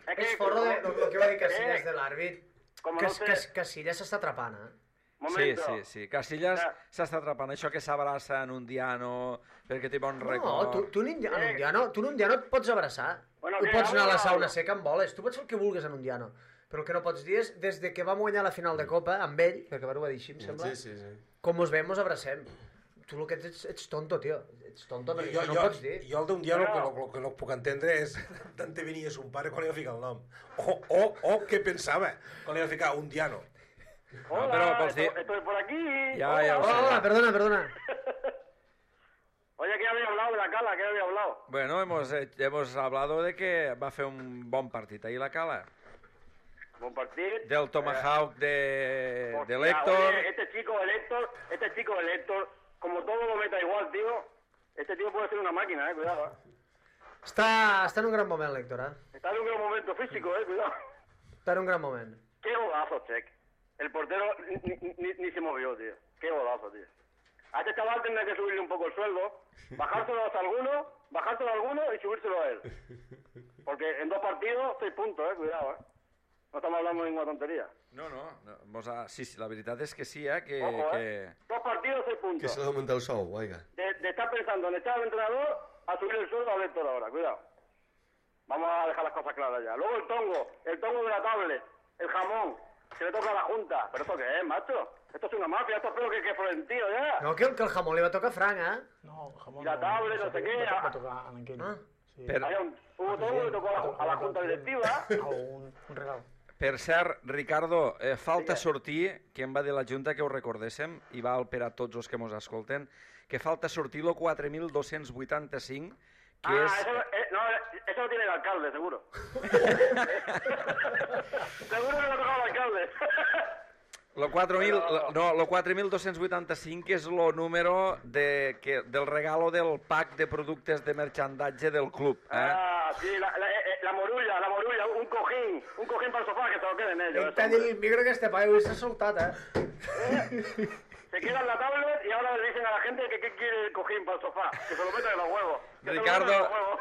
Es que, És forro de, el, el que va dir Casillas eh, de l'àrbit. com Que, no sé... que, Casillas s'està atrapant, eh? Sí, Momento. sí, sí. Casillas Ah. s'està atrapant. Això que s'abraça en un diano perquè té bon No, record. tu, tu, en un diano, en un diano, tu en un diano et pots abraçar. Bueno, tu què, pots anar a la habla, sauna habla. seca amb boles. Tu pots fer el que vulguis en un diano. Però el que no pots dir és, des de que vam guanyar la final de Copa, amb ell, que acabar-ho a dir així, em sembla, Sí, sí, sí. com us veiem, us abracem. Tu el que ets, ets, ets tonto, tio. Ets tonto, perquè Jo, això no jo, ho pots dir. jo el d'un dia el que, el, que no puc entendre és tant te venia son pare quan li va ficar el nom. O, o, o què pensava quan li va ficar un diano. Hola, No, però vols dir- estoy, estoy por aquí. Ja, Hola. ja ho sé. Hola, perdona, perdona. Oye, ¿qué había hablado de la Cala? ¿Qué había hablado? Bueno, hemos, eh, hemos hablado de que va a hacer un bon partit ahí la Cala. Buen partido. Del Tomahawk de, Hostia, de Héctor. oye, este chico, el Héctor, este chico, el Héctor, como todo lo meta igual, tío, este tío puede ser una máquina, eh, cuidado, eh. Està, està en un gran moment, l'Héctor, eh? Está en un gran momento físico, eh, cuidado. Està en un gran moment. Qué golazo, Check. El portero ni, ni, ni, ni se movió, tío. Qué golazo, tío. A este chaval tendrá que subirle un poco el sueldo, bajárselo a alguno, bajárselo a alguno y subírselo a él. Porque en dos partidos, seis puntos, eh, cuidado, eh. No estamos hablando de ninguna tontería. No, no, no mos ha, sí, sí, la veritat és que sí, eh, que... Ojo, que... eh. Dos partidos, seis Que puntos. se l'augmenta el sou, oiga. De, de estar pensando en echar al entrenador a subir el sueldo al Héctor ahora, cuidado. Vamos a dejar las cosas claras ya. Luego el tongo, el tongo de la tablet, el jamón, se le toca a la Junta. ¿Pero esto qué es, macho? Esto es una mafia, esto es peor que, que Florentino ya. No, que, que el jamón li va tocar franc, eh? No, jamón I la tablet, no sé què, Va, ah. va tocar en aquell... Ah. Sí. Per, Había un, hubo tongo y tocó a la, a la Junta Directiva. Un, un regal. per cert, Ricardo, eh, falta sortir, que em va dir la Junta que ho recordéssim, i val per a tots els que mos escolten, que falta sortir el quatre mil dos-cents vuitanta-cinc, que Ah, és... eso, eh, no, eso lo tiene el alcalde, seguro. Seguro que lo ha tocado el alcalde. Lo quatre mil, no, lo quatre mil dos-cents vuitanta-cinc és el número de, que, del regalo del pack de productes de merchandatge del club. Eh? Ah, sí, la, la, eh, la morulla, la morulla, un cojín, un cojín para el sofà que se lo queden ellos. T'ha dit el micro que este paio avui s'ha soltat, eh? Se quedan la tablet y ahora le dicen a la gente que qué quiere el cojín para el sofá, que se lo metan en los huevos. Que se lo Ricardo. metan en los huevos.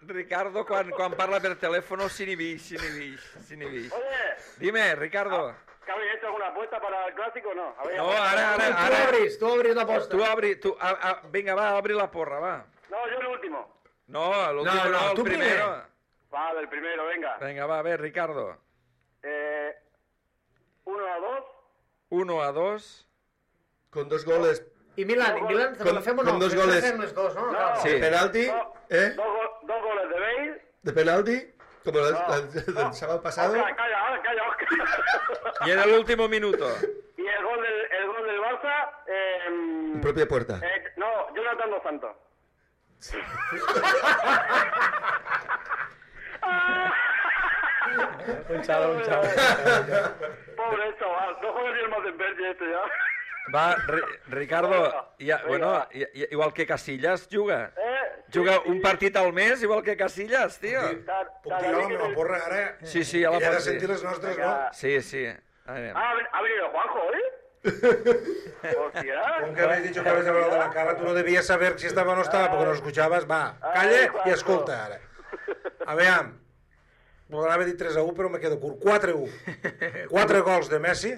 Ricardo, quan, quan parla per telèfon, s'inhibix, s'inhibix, s'inhibix. Oye, Dime, Ricardo. ¿que habéis hecho alguna apuesta para el clásico o no? ¿Habéis No, apostado? ara, ara, Tu ara. obris, tu obris l'aposta. Tu obri, tu, a, a, vinga, va, obri la porra, va. No, yo el último. No, l'últim No, no, no, el tu primero. primer. Vale, el primero, venga. Vinga, va, a ver, Ricardo. Eh, uno a dos. uno a dos. Con dos goles I Milan, i Milan, Con- la fem o con no? dos Hem de goles. fer-ne dos, no? No. Clar. Sí. de penalti, No, ¿eh? dos, go- dos goles de Bale. De penalti, como el, No. el- del sábado pasado. Oscar, calla, ahora calla, Oscar. Y en el último minuto. Y el gol del, el gol del Barça. Eh, En propia puerta. eh, no, Jonathan Dos Santos. Un xalo, un xalo. Pobre chaval, no juega ni el Matenberg este ya. Va, Ri- Ricardo, ja, bueno, i- i- igual que Casillas juga. Eh, Juga sí, un sí. partit al mes, igual que Casillas, tio. Ta- Puc ta- tirar la que meva el- porra ara? Sí, sí, ja la Que ja de pots sentir dir. les nostres, no? Venga. Sí, sí. Anem. Ah, ha ven- ha venido Juanjo, ¿eh? Hostia. Aunque habéis dicho que habéis hablado de la cara, tú no debías saber si estaba o no estaba, porque no escuchabas. Va, calla i escolta ara. Aviam, m'agrada dir tres a u, però me quedo curt. quatre a u. quatre gols de Messi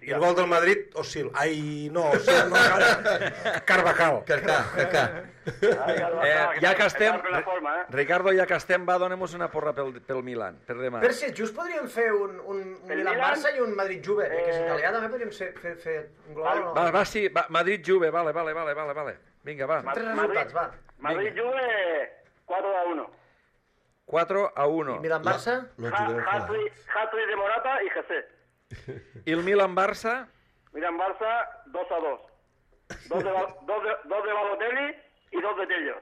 i el gol del Madrid, Osil. Ai, no, Osil, no, Car- Carvajal. Carcà, Carcà. Eh, ja que estem, Está en plena forma, eh? Ricardo, ja que estem, va, donem-nos una porra pel, pel Milan, per demà. Per si just podríem fer un, un, un El Milan-Barça Milan? i un Madrid-Juve, eh, que és Eh, italià, també podríem ser, fer, fer un global o no? Va, va, sí, va, Madrid-Juve, vale, vale, vale, vale, vale. Vinga, va. Tres Madrid- resultats, va. Madrid Juve cuatro a uno. quatre a uno. I Milan-Barça? Lo Ha- juguem Hat-trick hat-trick de Morata y José. I el Milan-Barça? Milan-Barça, dos a dos. Dos de, dos de, dos de Balotelli y dos de Tello.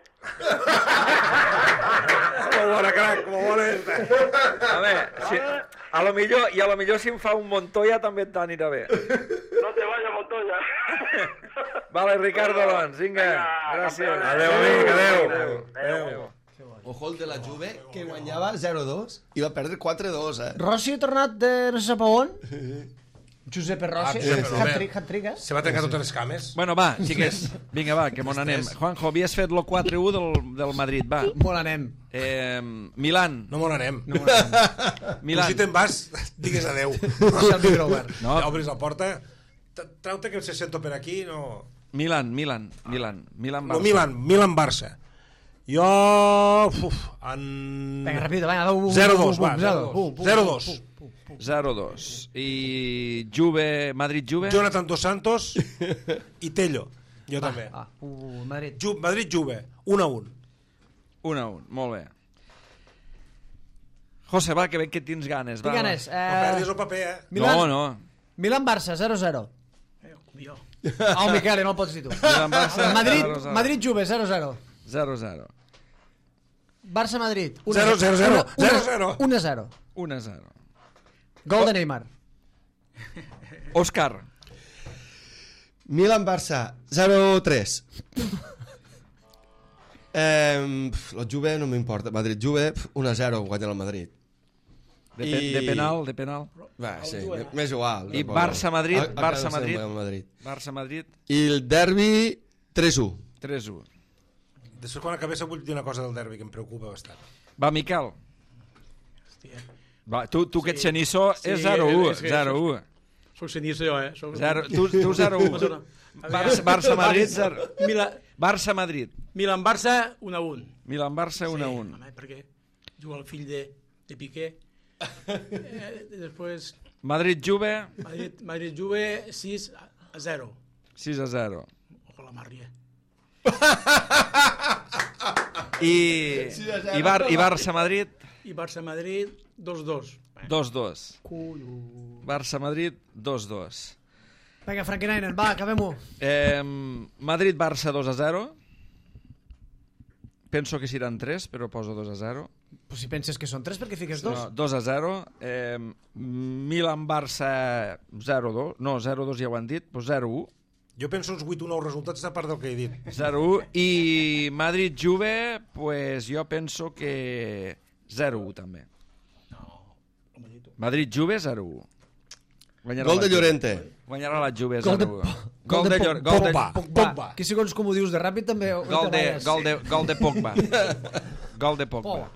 Com bona, crac, com bona esta. A veure, si, a lo millor, i a lo millor si em fa un Montoya també t'anirà bé. No te vayas, Montoya. Vale, Ricardo, doncs, vinga, gràcies. Adéu, amic, adéu. Adéu. Ojo el de la Juve, que guanyava zero dos i va perdre quatre dos, eh? Rossi ha tornat de no sé sap a on. Giuseppe Rossi, Ah, Giuseppe, hat-trick, hat-trick, eh? Se va trencar totes les cames. Bueno, va, xiquets, vinga, va, que m'on anem. Juanjo, havies fet lo quatre u del, del Madrid, va. Molt anem. Eh, Milan. No me n'anem. No, no, no. Milan. Tu si te'n vas, digues adéu. Deixa el micro obert. No. Obris la porta, trau-te que se sento per aquí, no... Milan, Milan, Milan, Milan, No, Barça. Milan, Milan-Barça. Jo... Uf, en... Vinga, ràpid, vinga, zero dos, va, zero zero dos. zero dos. I Juve, Madrid-Juve? Jonathan Dos Santos i Tello. Jo també. Ah, uh, Madrid. Ju Madrid-Juve, un a un. un a un, molt bé. José, va, que veig que tens ganes. Va, Tinc ganes. va. No perdis Eh, el paper, eh? Milan- No, no. Milan-Barça, zero zero. Eh, jo. Ah, el Miquel, no el pots dir tu. Milan-Barça, Madrid, zero zero. Madrid-Juve, zero zero. zero zero. Barça-Madrid. Zero, zero, zero. Zero, zero. un a zero. un a zero. Gol de Neymar. Òscar. Milan-Barça, zero tres. Eh, la Juve no m'importa. Madrid-Juve, un a zero, guanya el Madrid. De, pe I- de penal, de penal. Va, sí, m'és igual. I tampoc. Barça-Madrid, A- acaba sent Barça-Madrid. el Madrid. Barça-Madrid, I el derbi, tres u. tres u. Després, quan acabés, vull dir una cosa del derbi que em preocupa bastant. Va, Miquel. Hòstia. Va, tu, tu que ets xeniçó, Sí, és zero u. és que zero u. Soc cenizo jo, eh? Soc... Zero, tu, tu zero u. No, no. Barça- Barça-Madrid, zero. Mila... Barça-Madrid. Milan-Barça, un a un. Milan-Barça, un a un. Home, perquè juga el fill de, de Piqué. Eh, després, Madrid-Juve, Madrid, Madrid-Juve, sis a zero. sis a zero. Ojo la Marria. I, i, Bar, i Barça-Madrid, I Barça-Madrid, dos dos. dos dos. Barça-Madrid, dos dos. Vinga, Frankenstein, va, acabem-ho. Eh, Madrid-Barça, dos a zero. Penso que seran tres, però poso dos a zero. Pues si penses que són tres, perquè fiques dos? No, dos a zero. Eh, Milan-Barça, zero dos. No, zero dos ja ho han dit, doncs zero u. Jo penso uns vuit o nou resultats a part del que he dit. zero u. I Madrid-Juve, pues jo penso que zero u també. Madrid-Juve, zero u. Guanyarà Gol la de Juve. Llorente. Guanyarà la Juve, Gol de zero u. Po- Gol de Llor- gol de- Pogba. Pogba. Que segons com ho dius de ràpid també... Gol de, gol de, gol de Pogba. Gol de Pogba.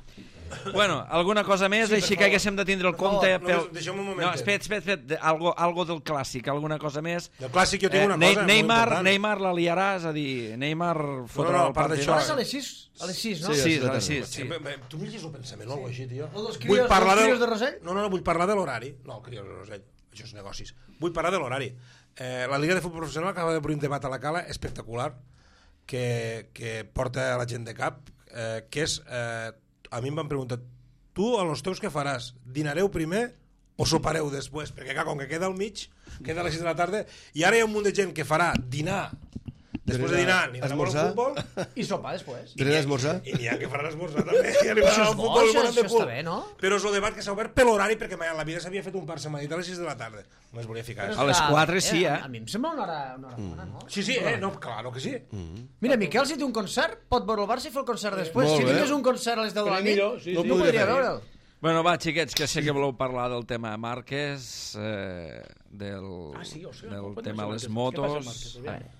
Bueno, alguna cosa més, sí, així que haguéssim de tindre el compte... No, pel... deixa'm un moment. No, espera, espera, espera, de- algo, algo del clàssic, alguna cosa més. Del clàssic jo tinc una Ne- cosa molt Neymar, important. Neymar la liarà, és a dir, Neymar fotrà no, a el part partit. d'això- És a les sis? A les sis, no? Sí, Sí, sí, sí, sí, sí. sí. Bé, bé, tu m'hi llegis el pensament o alguna cosa així, tio? El dels Vull crios- parlar els del- crios de Rosell? No, no, no, vull parlar de l'horari. No, crios de Rosell, això és negocis. Vull parlar de l'horari. Eh, la Liga de Futbol Professional acaba d'obrir un debat a la Cala espectacular que, que porta a la gent de cap, eh, que és... Eh, a mi em van preguntar, tu, a los teus què faràs? Dinareu primer o sopareu després? Perquè, clar, com que queda al mig, queda a les sis de la tarda, i ara hi ha un munt de gent que farà dinar, després de dinar, ni d'anar al Esmorzar? futbol, I sopar després. Dret d'esmorzar? i n'hi ha que faran esmorzar també, i Això arribaran és al bo, futbol i això- moren de això cul. està bé, no? Però és el debat que s'ha obert per l'horari, perquè mai en la vida s'havia fet un Barça Madrid a les sis de la tarda. Només volia ficar A això. les quatre sí, eh? A mi em sembla una hora, una hora bona, no? Sí, sí, eh? No, claro que sí. Mira, Miquel, si té un concert, pot veure el Barça i fer el concert després. Molt Si bé. tingués un concert a les deu de la nit, millor, sí, no sí. podria veure'l. Bueno, va, xiquets, que sé que voleu parlar del tema Márquez, eh, del, Ah, sí, o sigui, del pot tema passar les Márquez. Què passa, motos... Márquez? Aviam.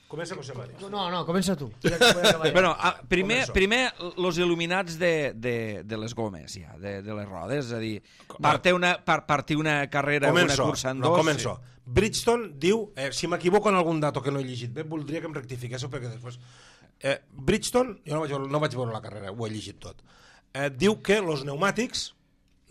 Comença José Mari. No, no, comença tu. Ja que podem acabar ja. Bueno, ah, primer, Començo. primer los il·luminats de, de, de les gomes, ja, de, de les rodes, és a dir, partir una, par, partir una carrera, Començo, una cursa en no, dos... començo. Bridgestone diu, eh, si m'equivoco en algun dato que no he llegit bé, voldria que em rectifiquéssiu perquè després... Eh, Bridgestone, jo no vaig, veure, no vaig veure la carrera, ho he llegit tot, eh, diu que els pneumàtics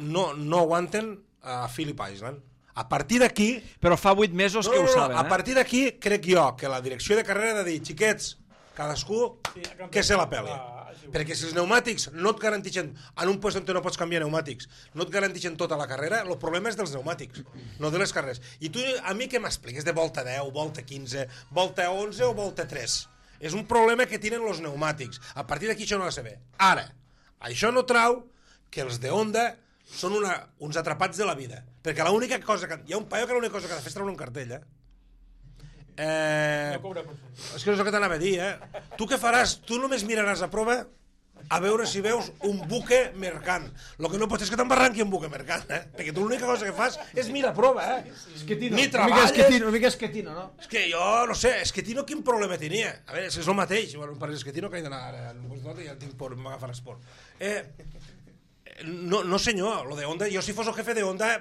no, no aguanten a Phillip Island. A partir d'aquí... Però fa vuit mesos No, que no, ho no, saben, a eh? partir d'aquí crec jo que la direcció de carrera ha de dir, xiquets, cadascú Sí, a camp- que se la peli. a- perquè si els pneumàtics no et garantixen, en un lloc on no pots canviar pneumàtics, no et garantixen tota la carrera, el problema és dels pneumàtics, no de les carreres. I tu a mi què m'expliques de volta deu, volta quinze, volta onze o volta tres? És un problema que tenen els pneumàtics. A partir d'aquí això no ha de saber. Ara, això no trau que els de Honda són una, uns atrapats de la vida. Perquè l'única cosa que... Hi ha un paio que l'única cosa que ha de fer és treure un cartell, eh? Eh... És que no és el que t'anava a dir, eh? Tu què faràs? Tu només miraràs a prova a veure si veus un buque mercant. El que no pots és que t'embarranqui un buque mercant, eh? Perquè tu l'única cosa que fas és mirar a prova, eh? Esquetino. Ni treballes... Una mica esquetino, una mica esquetino, no? És que jo, no sé, Esquetino quin problema tenia? A veure, és el mateix. Bueno, per Esquetino que he d'anar ara, ja tinc por, m'agafar esport. Eh... No, no senyor, lo de Honda, jo si fos el jefe de Honda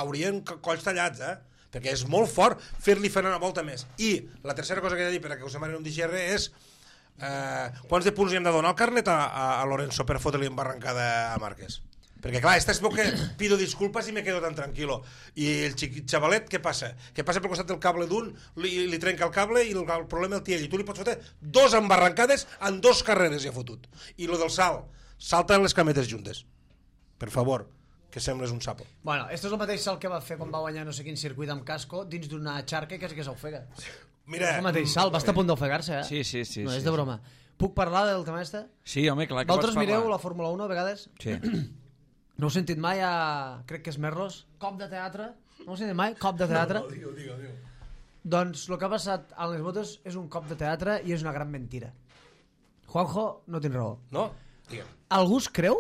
haurien colls tallats, eh? Perquè és molt fort fer-li fer una volta més. I la tercera cosa que he de dir, per a que us demanen un D G R, és eh, quants de punts li hem de donar al carnet a, a, a Lorenzo per fotre-li embarrancada a Márquez? Perquè clar, esta és bo que pido disculpas i me quedo tan tranquilo. I el xavalet, què passa? Que passa pel costat del cable d'un, li, li trenca el cable i el, el problema el té ell. I tu li pots fotre dos embarrancades en dos carreres ja fotut. I lo del salt, salta les cametes juntes. Per favor, que sembles un sapo. Bueno, esto és el mateix salt que va fer quan va guanyar no sé quin circuit amb casco dins d'una xarca que és que s'ofega. Mira... És el mateix salt, va estar a punt d'ofegar-se, eh? Sí, sí, sí. No, és sí, de broma. Sí. Puc parlar del tema este? Sí, home, clar que Vosaltres pots parlar. mireu la Fórmula uno a vegades? Sí. No heu sentit mai a... crec que és Merlos? Cop de teatre? No heu sentit mai? Cop de teatre? No, no, digue-ho, digue-ho, digue-ho. Doncs el que ha passat a les motos és un cop de teatre i és una gran mentira. Juanjo, no tens raó. No? Digue'm. Algú es creu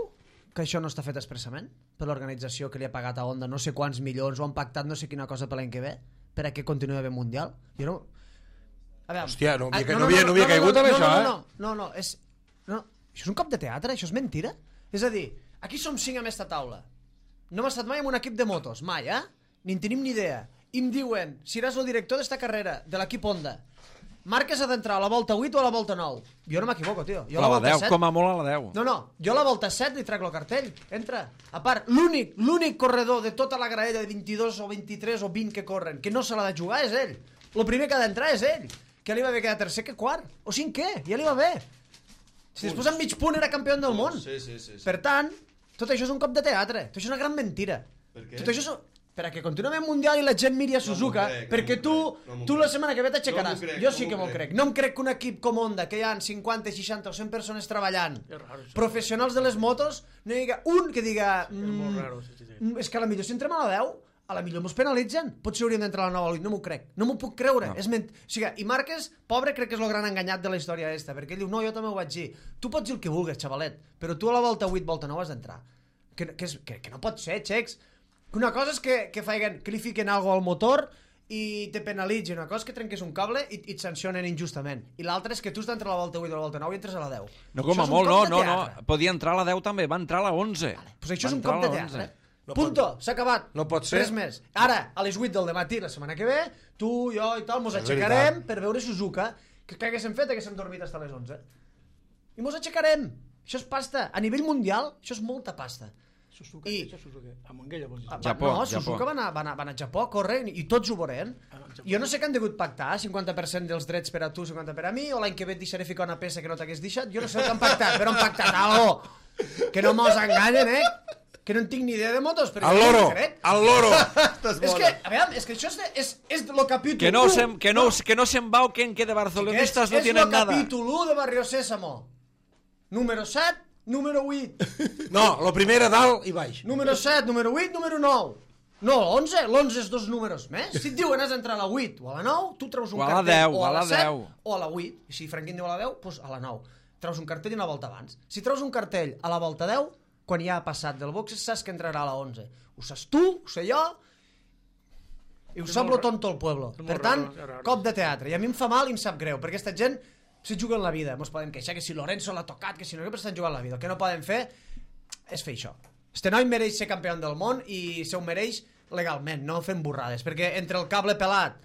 que això no està fet expressament per l'organització que li ha pagat a Honda no sé quants milions o han pactat no sé quina cosa per l'any que ve per a que continuï havent Mundial? Jo no... A veure... Hòstia, no havia, Ah, no, no, havia, no havia caigut no, amb no, això, no, eh? no, no, no, és... No, això és un cop de teatre, això és mentira. És a dir, aquí som cinc en esta taula. No hem estat mai en un equip de motos, mai, eh? Ni en tenim ni idea. I em diuen, seràs el director d'esta carrera, de l'equip Honda. Márquez ha d'entrar a la volta vuit o a la volta nou. Jo no m'equivoco, tio. Jo a la, la deu, set... com a molt a la deu. No, no, jo a la volta set li trec el cartell. Entra. A part, l'únic, l'únic corredor de tota la graella de vint-i-dos o vint-i-tres o vint que corren, que no se l'ha de jugar és ell. El primer que ha d'entrar és ell. Que li va bé quedar tercer que quart. O cinquè, ja li va bé. Si després amb mig punt era campió del món. Sí, sí, sí, sí. Per tant, tot això és un cop de teatre. Tot això és una gran mentira. Per què? Tot això és... Per a que continuem en Mundial i la gent miri a Suzuka, crec, perquè no tu, no tu la setmana que ve t'aixecaràs. No m'ho crec, jo no sí m'ho que m'ho crec. crec. No em crec que un equip com Honda, que hi ha cinquanta, seixanta o cent persones treballant, És raro, això. professionals de les motos, no hi ha un que diga És molt mm, raro, sí, sí, sí. mm, és que a la millor si entrem a la deu, a la millor mos penalitzen. Potser hauríem d'entrar a la nova, no m'ho crec. No m'ho puc creure. No. És ment... O sigui, i Márquez, pobre, crec que és el gran enganyat de la història esta, perquè ell diu, no, jo també ho vaig dir. Tu pots dir el que vulguis, xavalet, però tu a la volta vuit, volta nou has d'entrar. Que, que, és, que, que no pot ser, xecs. Una cosa és que, que, faguen, que li fiquen alguna al motor i te penalitzin. Una cosa és que trenques un cable i, i et sancionen injustament. I l'altra és que tu has d'entrar a la volta vuit o a la volta nou i entres a la deu. No, com Això a és un molt, cop no, de no, no. teatre. Podia entrar a la deu també, va entrar a la onze. Vale. Pues això Va és un entrar cop a de la teatre. onze. No Punto, pot- s'ha acabat. no pot ser. Res més. Ara, a les vuit del matí, la setmana que ve, tu, jo i tal, mos És aixecarem veritat. per veure Suzuka. Que, que haguéssim fet? Haguéssim dormit fins a les onze. I mos aixecarem. Això és pasta. A nivell mundial, això és molta pasta. Suzuka, I- això és Suzuka. A Montguella, vols dir? Ah, Japó, no, Japó. Suzuka va anar, va, anar, va anar a Japó, corre, i tots ho veurem. Ah, Japó. Jo no sé què han degut pactar, cinquanta per cent dels drets per a tu, cinquanta per a mi, o l'any que ve et deixaré ficar una peça que no t'hagués deixat. Jo no sé el que han pactat, però han pactat algo. Que no mos enganyen, eh? Que no en tinc ni idea de motos, però Al jo no loro, ho crec. al loro. És que, a veure, és que això és, de, és, és de lo capítol Que no, u. se, que no, que no se embauquen, que de barcelonistas és, no és tienen lo nada. capítol u de Barrio Sésamo. Número set, número vuit. No, lo primer a dalt i baix. Número set, número vuit, número nou. No, l'onze, l'onze és dos números més. Si et diuen has d'entrar a la vuit o a la nou, tu treus un O a la cartell deu, o a a la la set deu. o a la vuit. I si Franquín diu a la deu, doncs a la nou. Treus un cartell una volta abans. Si treus un cartell a la volta deu, quan ja ha passat del box, saps que entrarà a la onze. Ho saps tu, ho sé jo, i ho És sap molt lo tonto el pueblo. és molt Per tant, raro, és raro. cop de teatre. I a mi em fa mal i em sap greu, perquè aquesta gent se juga en la vida. Mos poden queixar que si Lorenzo l'ha tocat, que si no, que estan jugant la vida. El que no poden fer és fer això. Este noi mereix ser campió del món i se ho mereix legalment, no fent borrades, perquè entre el cable pelat,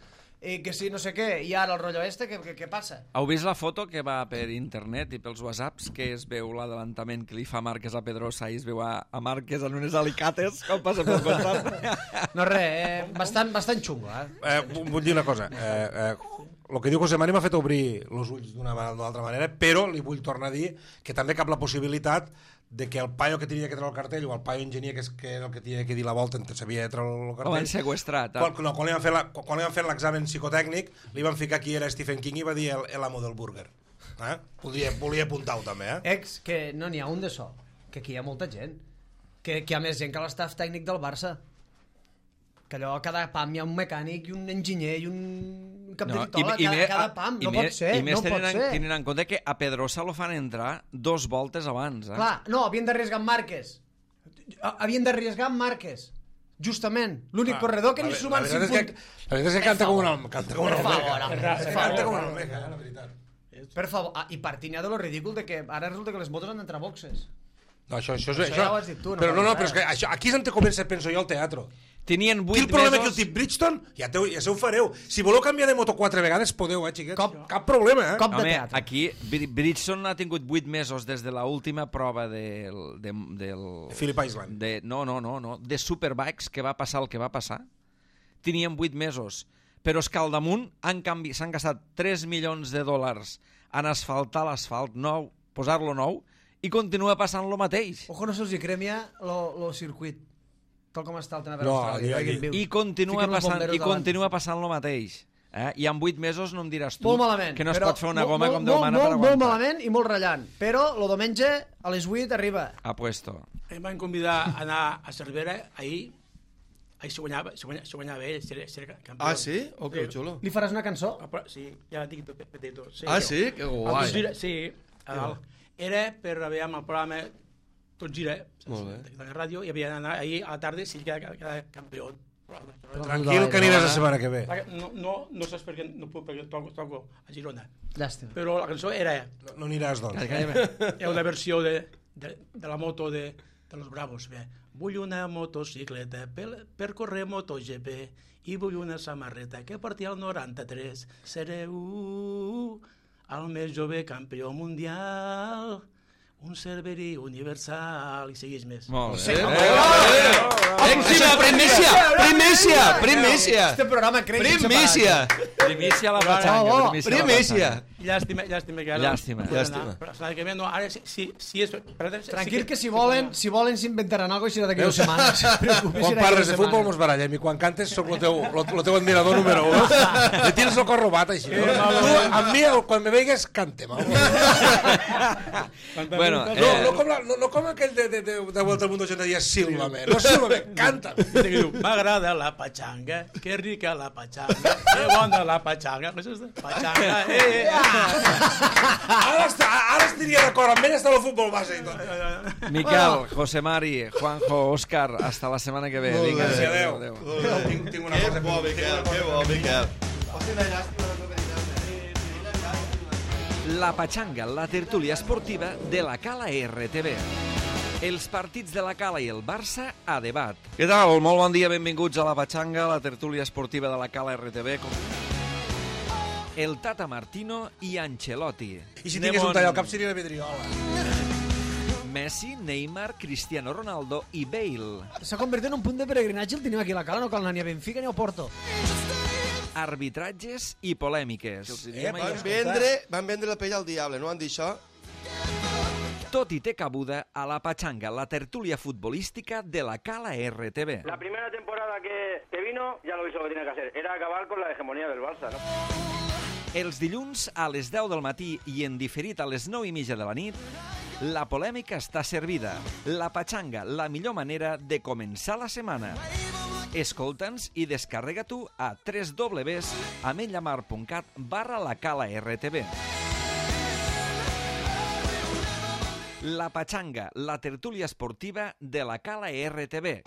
i que si no sé què, i ara el rotllo este, què, què, què passa? Heu vist la foto que va per internet i pels whatsapps que es veu l'adelantament que li fa Márquez a Pedrosa i es veu a, a Márquez en unes alicates quan passa pel costat? No res, eh, bastant, bastant xungo, eh? Eh, vull dir una cosa. Eh, eh, el que diu José Mari m'ha fet obrir els ulls d'una altra manera, però li vull tornar a dir que també cap la possibilitat de que el paio que tenia que treure el cartell o el paio enginyer que, és, que era el que tenia que dir la volta entre sabia de treure el cartell, El van seqüestrat. Eh? quan, no, quan, li van fer la, quan li van fer l'examen psicotècnic li van ficar qui era Stephen King i va dir el, el amo del burger. Eh? Podria, volia apuntar-ho també, eh? Ex, que no n'hi ha un de so, que aquí hi ha molta gent, que, que hi ha més gent que l'estaf tècnic del Barça, que allò a cada pam hi ha un mecànic i un enginyer i un cap de titola, cada, me, cada pam, no me, pot ser, i més no pot tenen, ser. tenen en compte que a Pedrosa lo fan entrar dos voltes abans. Eh? Clar, no, havien d'arriesgar amb Márquez. Havien d'arriesgar amb Márquez. Justament. L'únic corredor que ni sumen cinc punts. La veritat és que canta com una canta com una Per favor, almeja. home, per Canta com favor. una almeja, eh, la veritat. Per favor. Ah, I partint ja de lo ridícul de que ara resulta que les motos han d'entrar a boxes. No, això, això, Això això, ja ho has dit tu, no però no, no, val però és que res. això, aquí és on te comença, penso jo, el teatre. Tenien Aquí vuit el problema mesos... que el tip Bridgestone, ja, teu, ja se ho fareu. Si voleu canviar de moto quatre vegades, podeu, eh, xiquets? Cop. Cap problema, eh? Cop de Home, teatre. aquí Bri- Bridgestone ha tingut vuit mesos des de l'última prova del, de, del, Phillip Island. de, no, no, no, no, de Superbikes, que va passar el que va passar. Tenien vuit mesos, però és que al damunt han canvi... s'han gastat tres milions de dòlars en asfaltar l'asfalt nou, posar-lo nou, i continua passant lo mateix. Ojo, no se'ls hi cremia lo, lo circuit. Tal com està el tema per No, Austràlia. aquí- Dragon View. I continua Fiquen els passant, bomberos i davant. continua passant lo mateix. Eh? I en vuit mesos no em diràs tu Molt malament. que no es però pot fer una molt, goma molt, com Déu molt, mana per molt, aguantar. molt malament i molt ratllant. Però el diumenge a les vuit arriba. Apuesto. Em van convidar a anar a Cervera ahir. Ahir se guanyava, se guanyava, se guanyava ell, ser, ser campió. Ah, sí? Oh, que xulo. Li faràs una cançó? Ah, però, sí, ja la tinc tot petito. Sí, Ah, sí? Que El guai. Tot gira, sí, a dalt. Era per veure el programa Tot gira, Molt bé. de la ràdio, i havia d'anar ahir a la tarda si cada, cada campió. Tranquil, que aniràs la setmana que ve. No, no, no saps per què no puc, perquè toco, toco a Girona. Llàstima. Però la cançó era, No, no aniràs, doncs. era una versió de, de, de la moto de, de los Bravos. Bé. Vull una motocicleta per, per córrer MotoGP i vull una samarreta que porti al noranta-tres. Sereu el més jove campió mundial, un Cerveri universal, i segueix més. Molt Sí, bé. home, Èxima, primícia, primícia, primícia. Este programa crec que Primícia. Primícia a la Oh, patxanga. oh, Primícia. a la Primícia. patxanga. Llàstima, llàstima que ara... Llàstima. no puc Llàstima. anar, Però la setmana que ve, no, ara sí, sí, sí és... Però, sí Tranquil, que si volen si volen s'inventaran alguna cosa i serà d'aquí dues setmanes. No et preocupis, Quan serà d'aquí parles dues de futbol setmanes. mos barallem i quan cantes soc el teu, el, el teu admirador número un. Le tens el cor robat, així. No? Tu, amb mi, el- quan me veigues, cantem. No, Bueno, no, eh, no, com, la, no, no com aquell de, de, de, de Vuelta al Mundo, gent deia sílvame. No sílvame, canta. Dice que diu, m'agrada la pachanga, que rica la pachanga, que bona la pachanga. Què és això? Pachanga, eh, eh. Ara, està, ara estaria d'acord, amb ell està el futbol base i tot. Miquel, José Mari, Juanjo, Òscar, hasta la setmana que ve. Vinga, Sí, adéu, adéu. adéu. Tinc, tinc una Que cosa... bo, Miquel, que bo, Miquel. La Patxanga, la tertúlia esportiva de la Cala R T V. Els partits de la Cala i el Barça a debat. Què tal? Molt bon dia, benvinguts a la Patxanga, la tertúlia esportiva de la Cala R T V. El Tata Martino i Ancelotti. I si tingués un tall al cap seria la vidriola. Messi, Neymar, Cristiano Ronaldo i Bale. S'ha convertit en un punt de peregrinatge, el tenim aquí a la Cala, no cal anar ni a Benfica ni a Porto. Arbitratges i polèmiques. Eh, Van vendre, van vendre la pell al diable, no van dir això? Tot i té cabuda a la Patxanga, la tertúlia futbolística de la Cala R T V. La primera temporada que, que vino, ya lo hizo lo que tenía que hacer. Era acabar con la hegemonía del Barça, ¿no? Els dilluns a les deu del matí i en diferit a les nou i mitja de la nit, la polèmica està servida. La Patxanga, la millor manera de començar la setmana. Escolta'ns i descarrega tu a w w w punt ametlllamar punt cat barra la Cala R T V. La Patxanga, la tertúlia esportiva de la Cala R T V.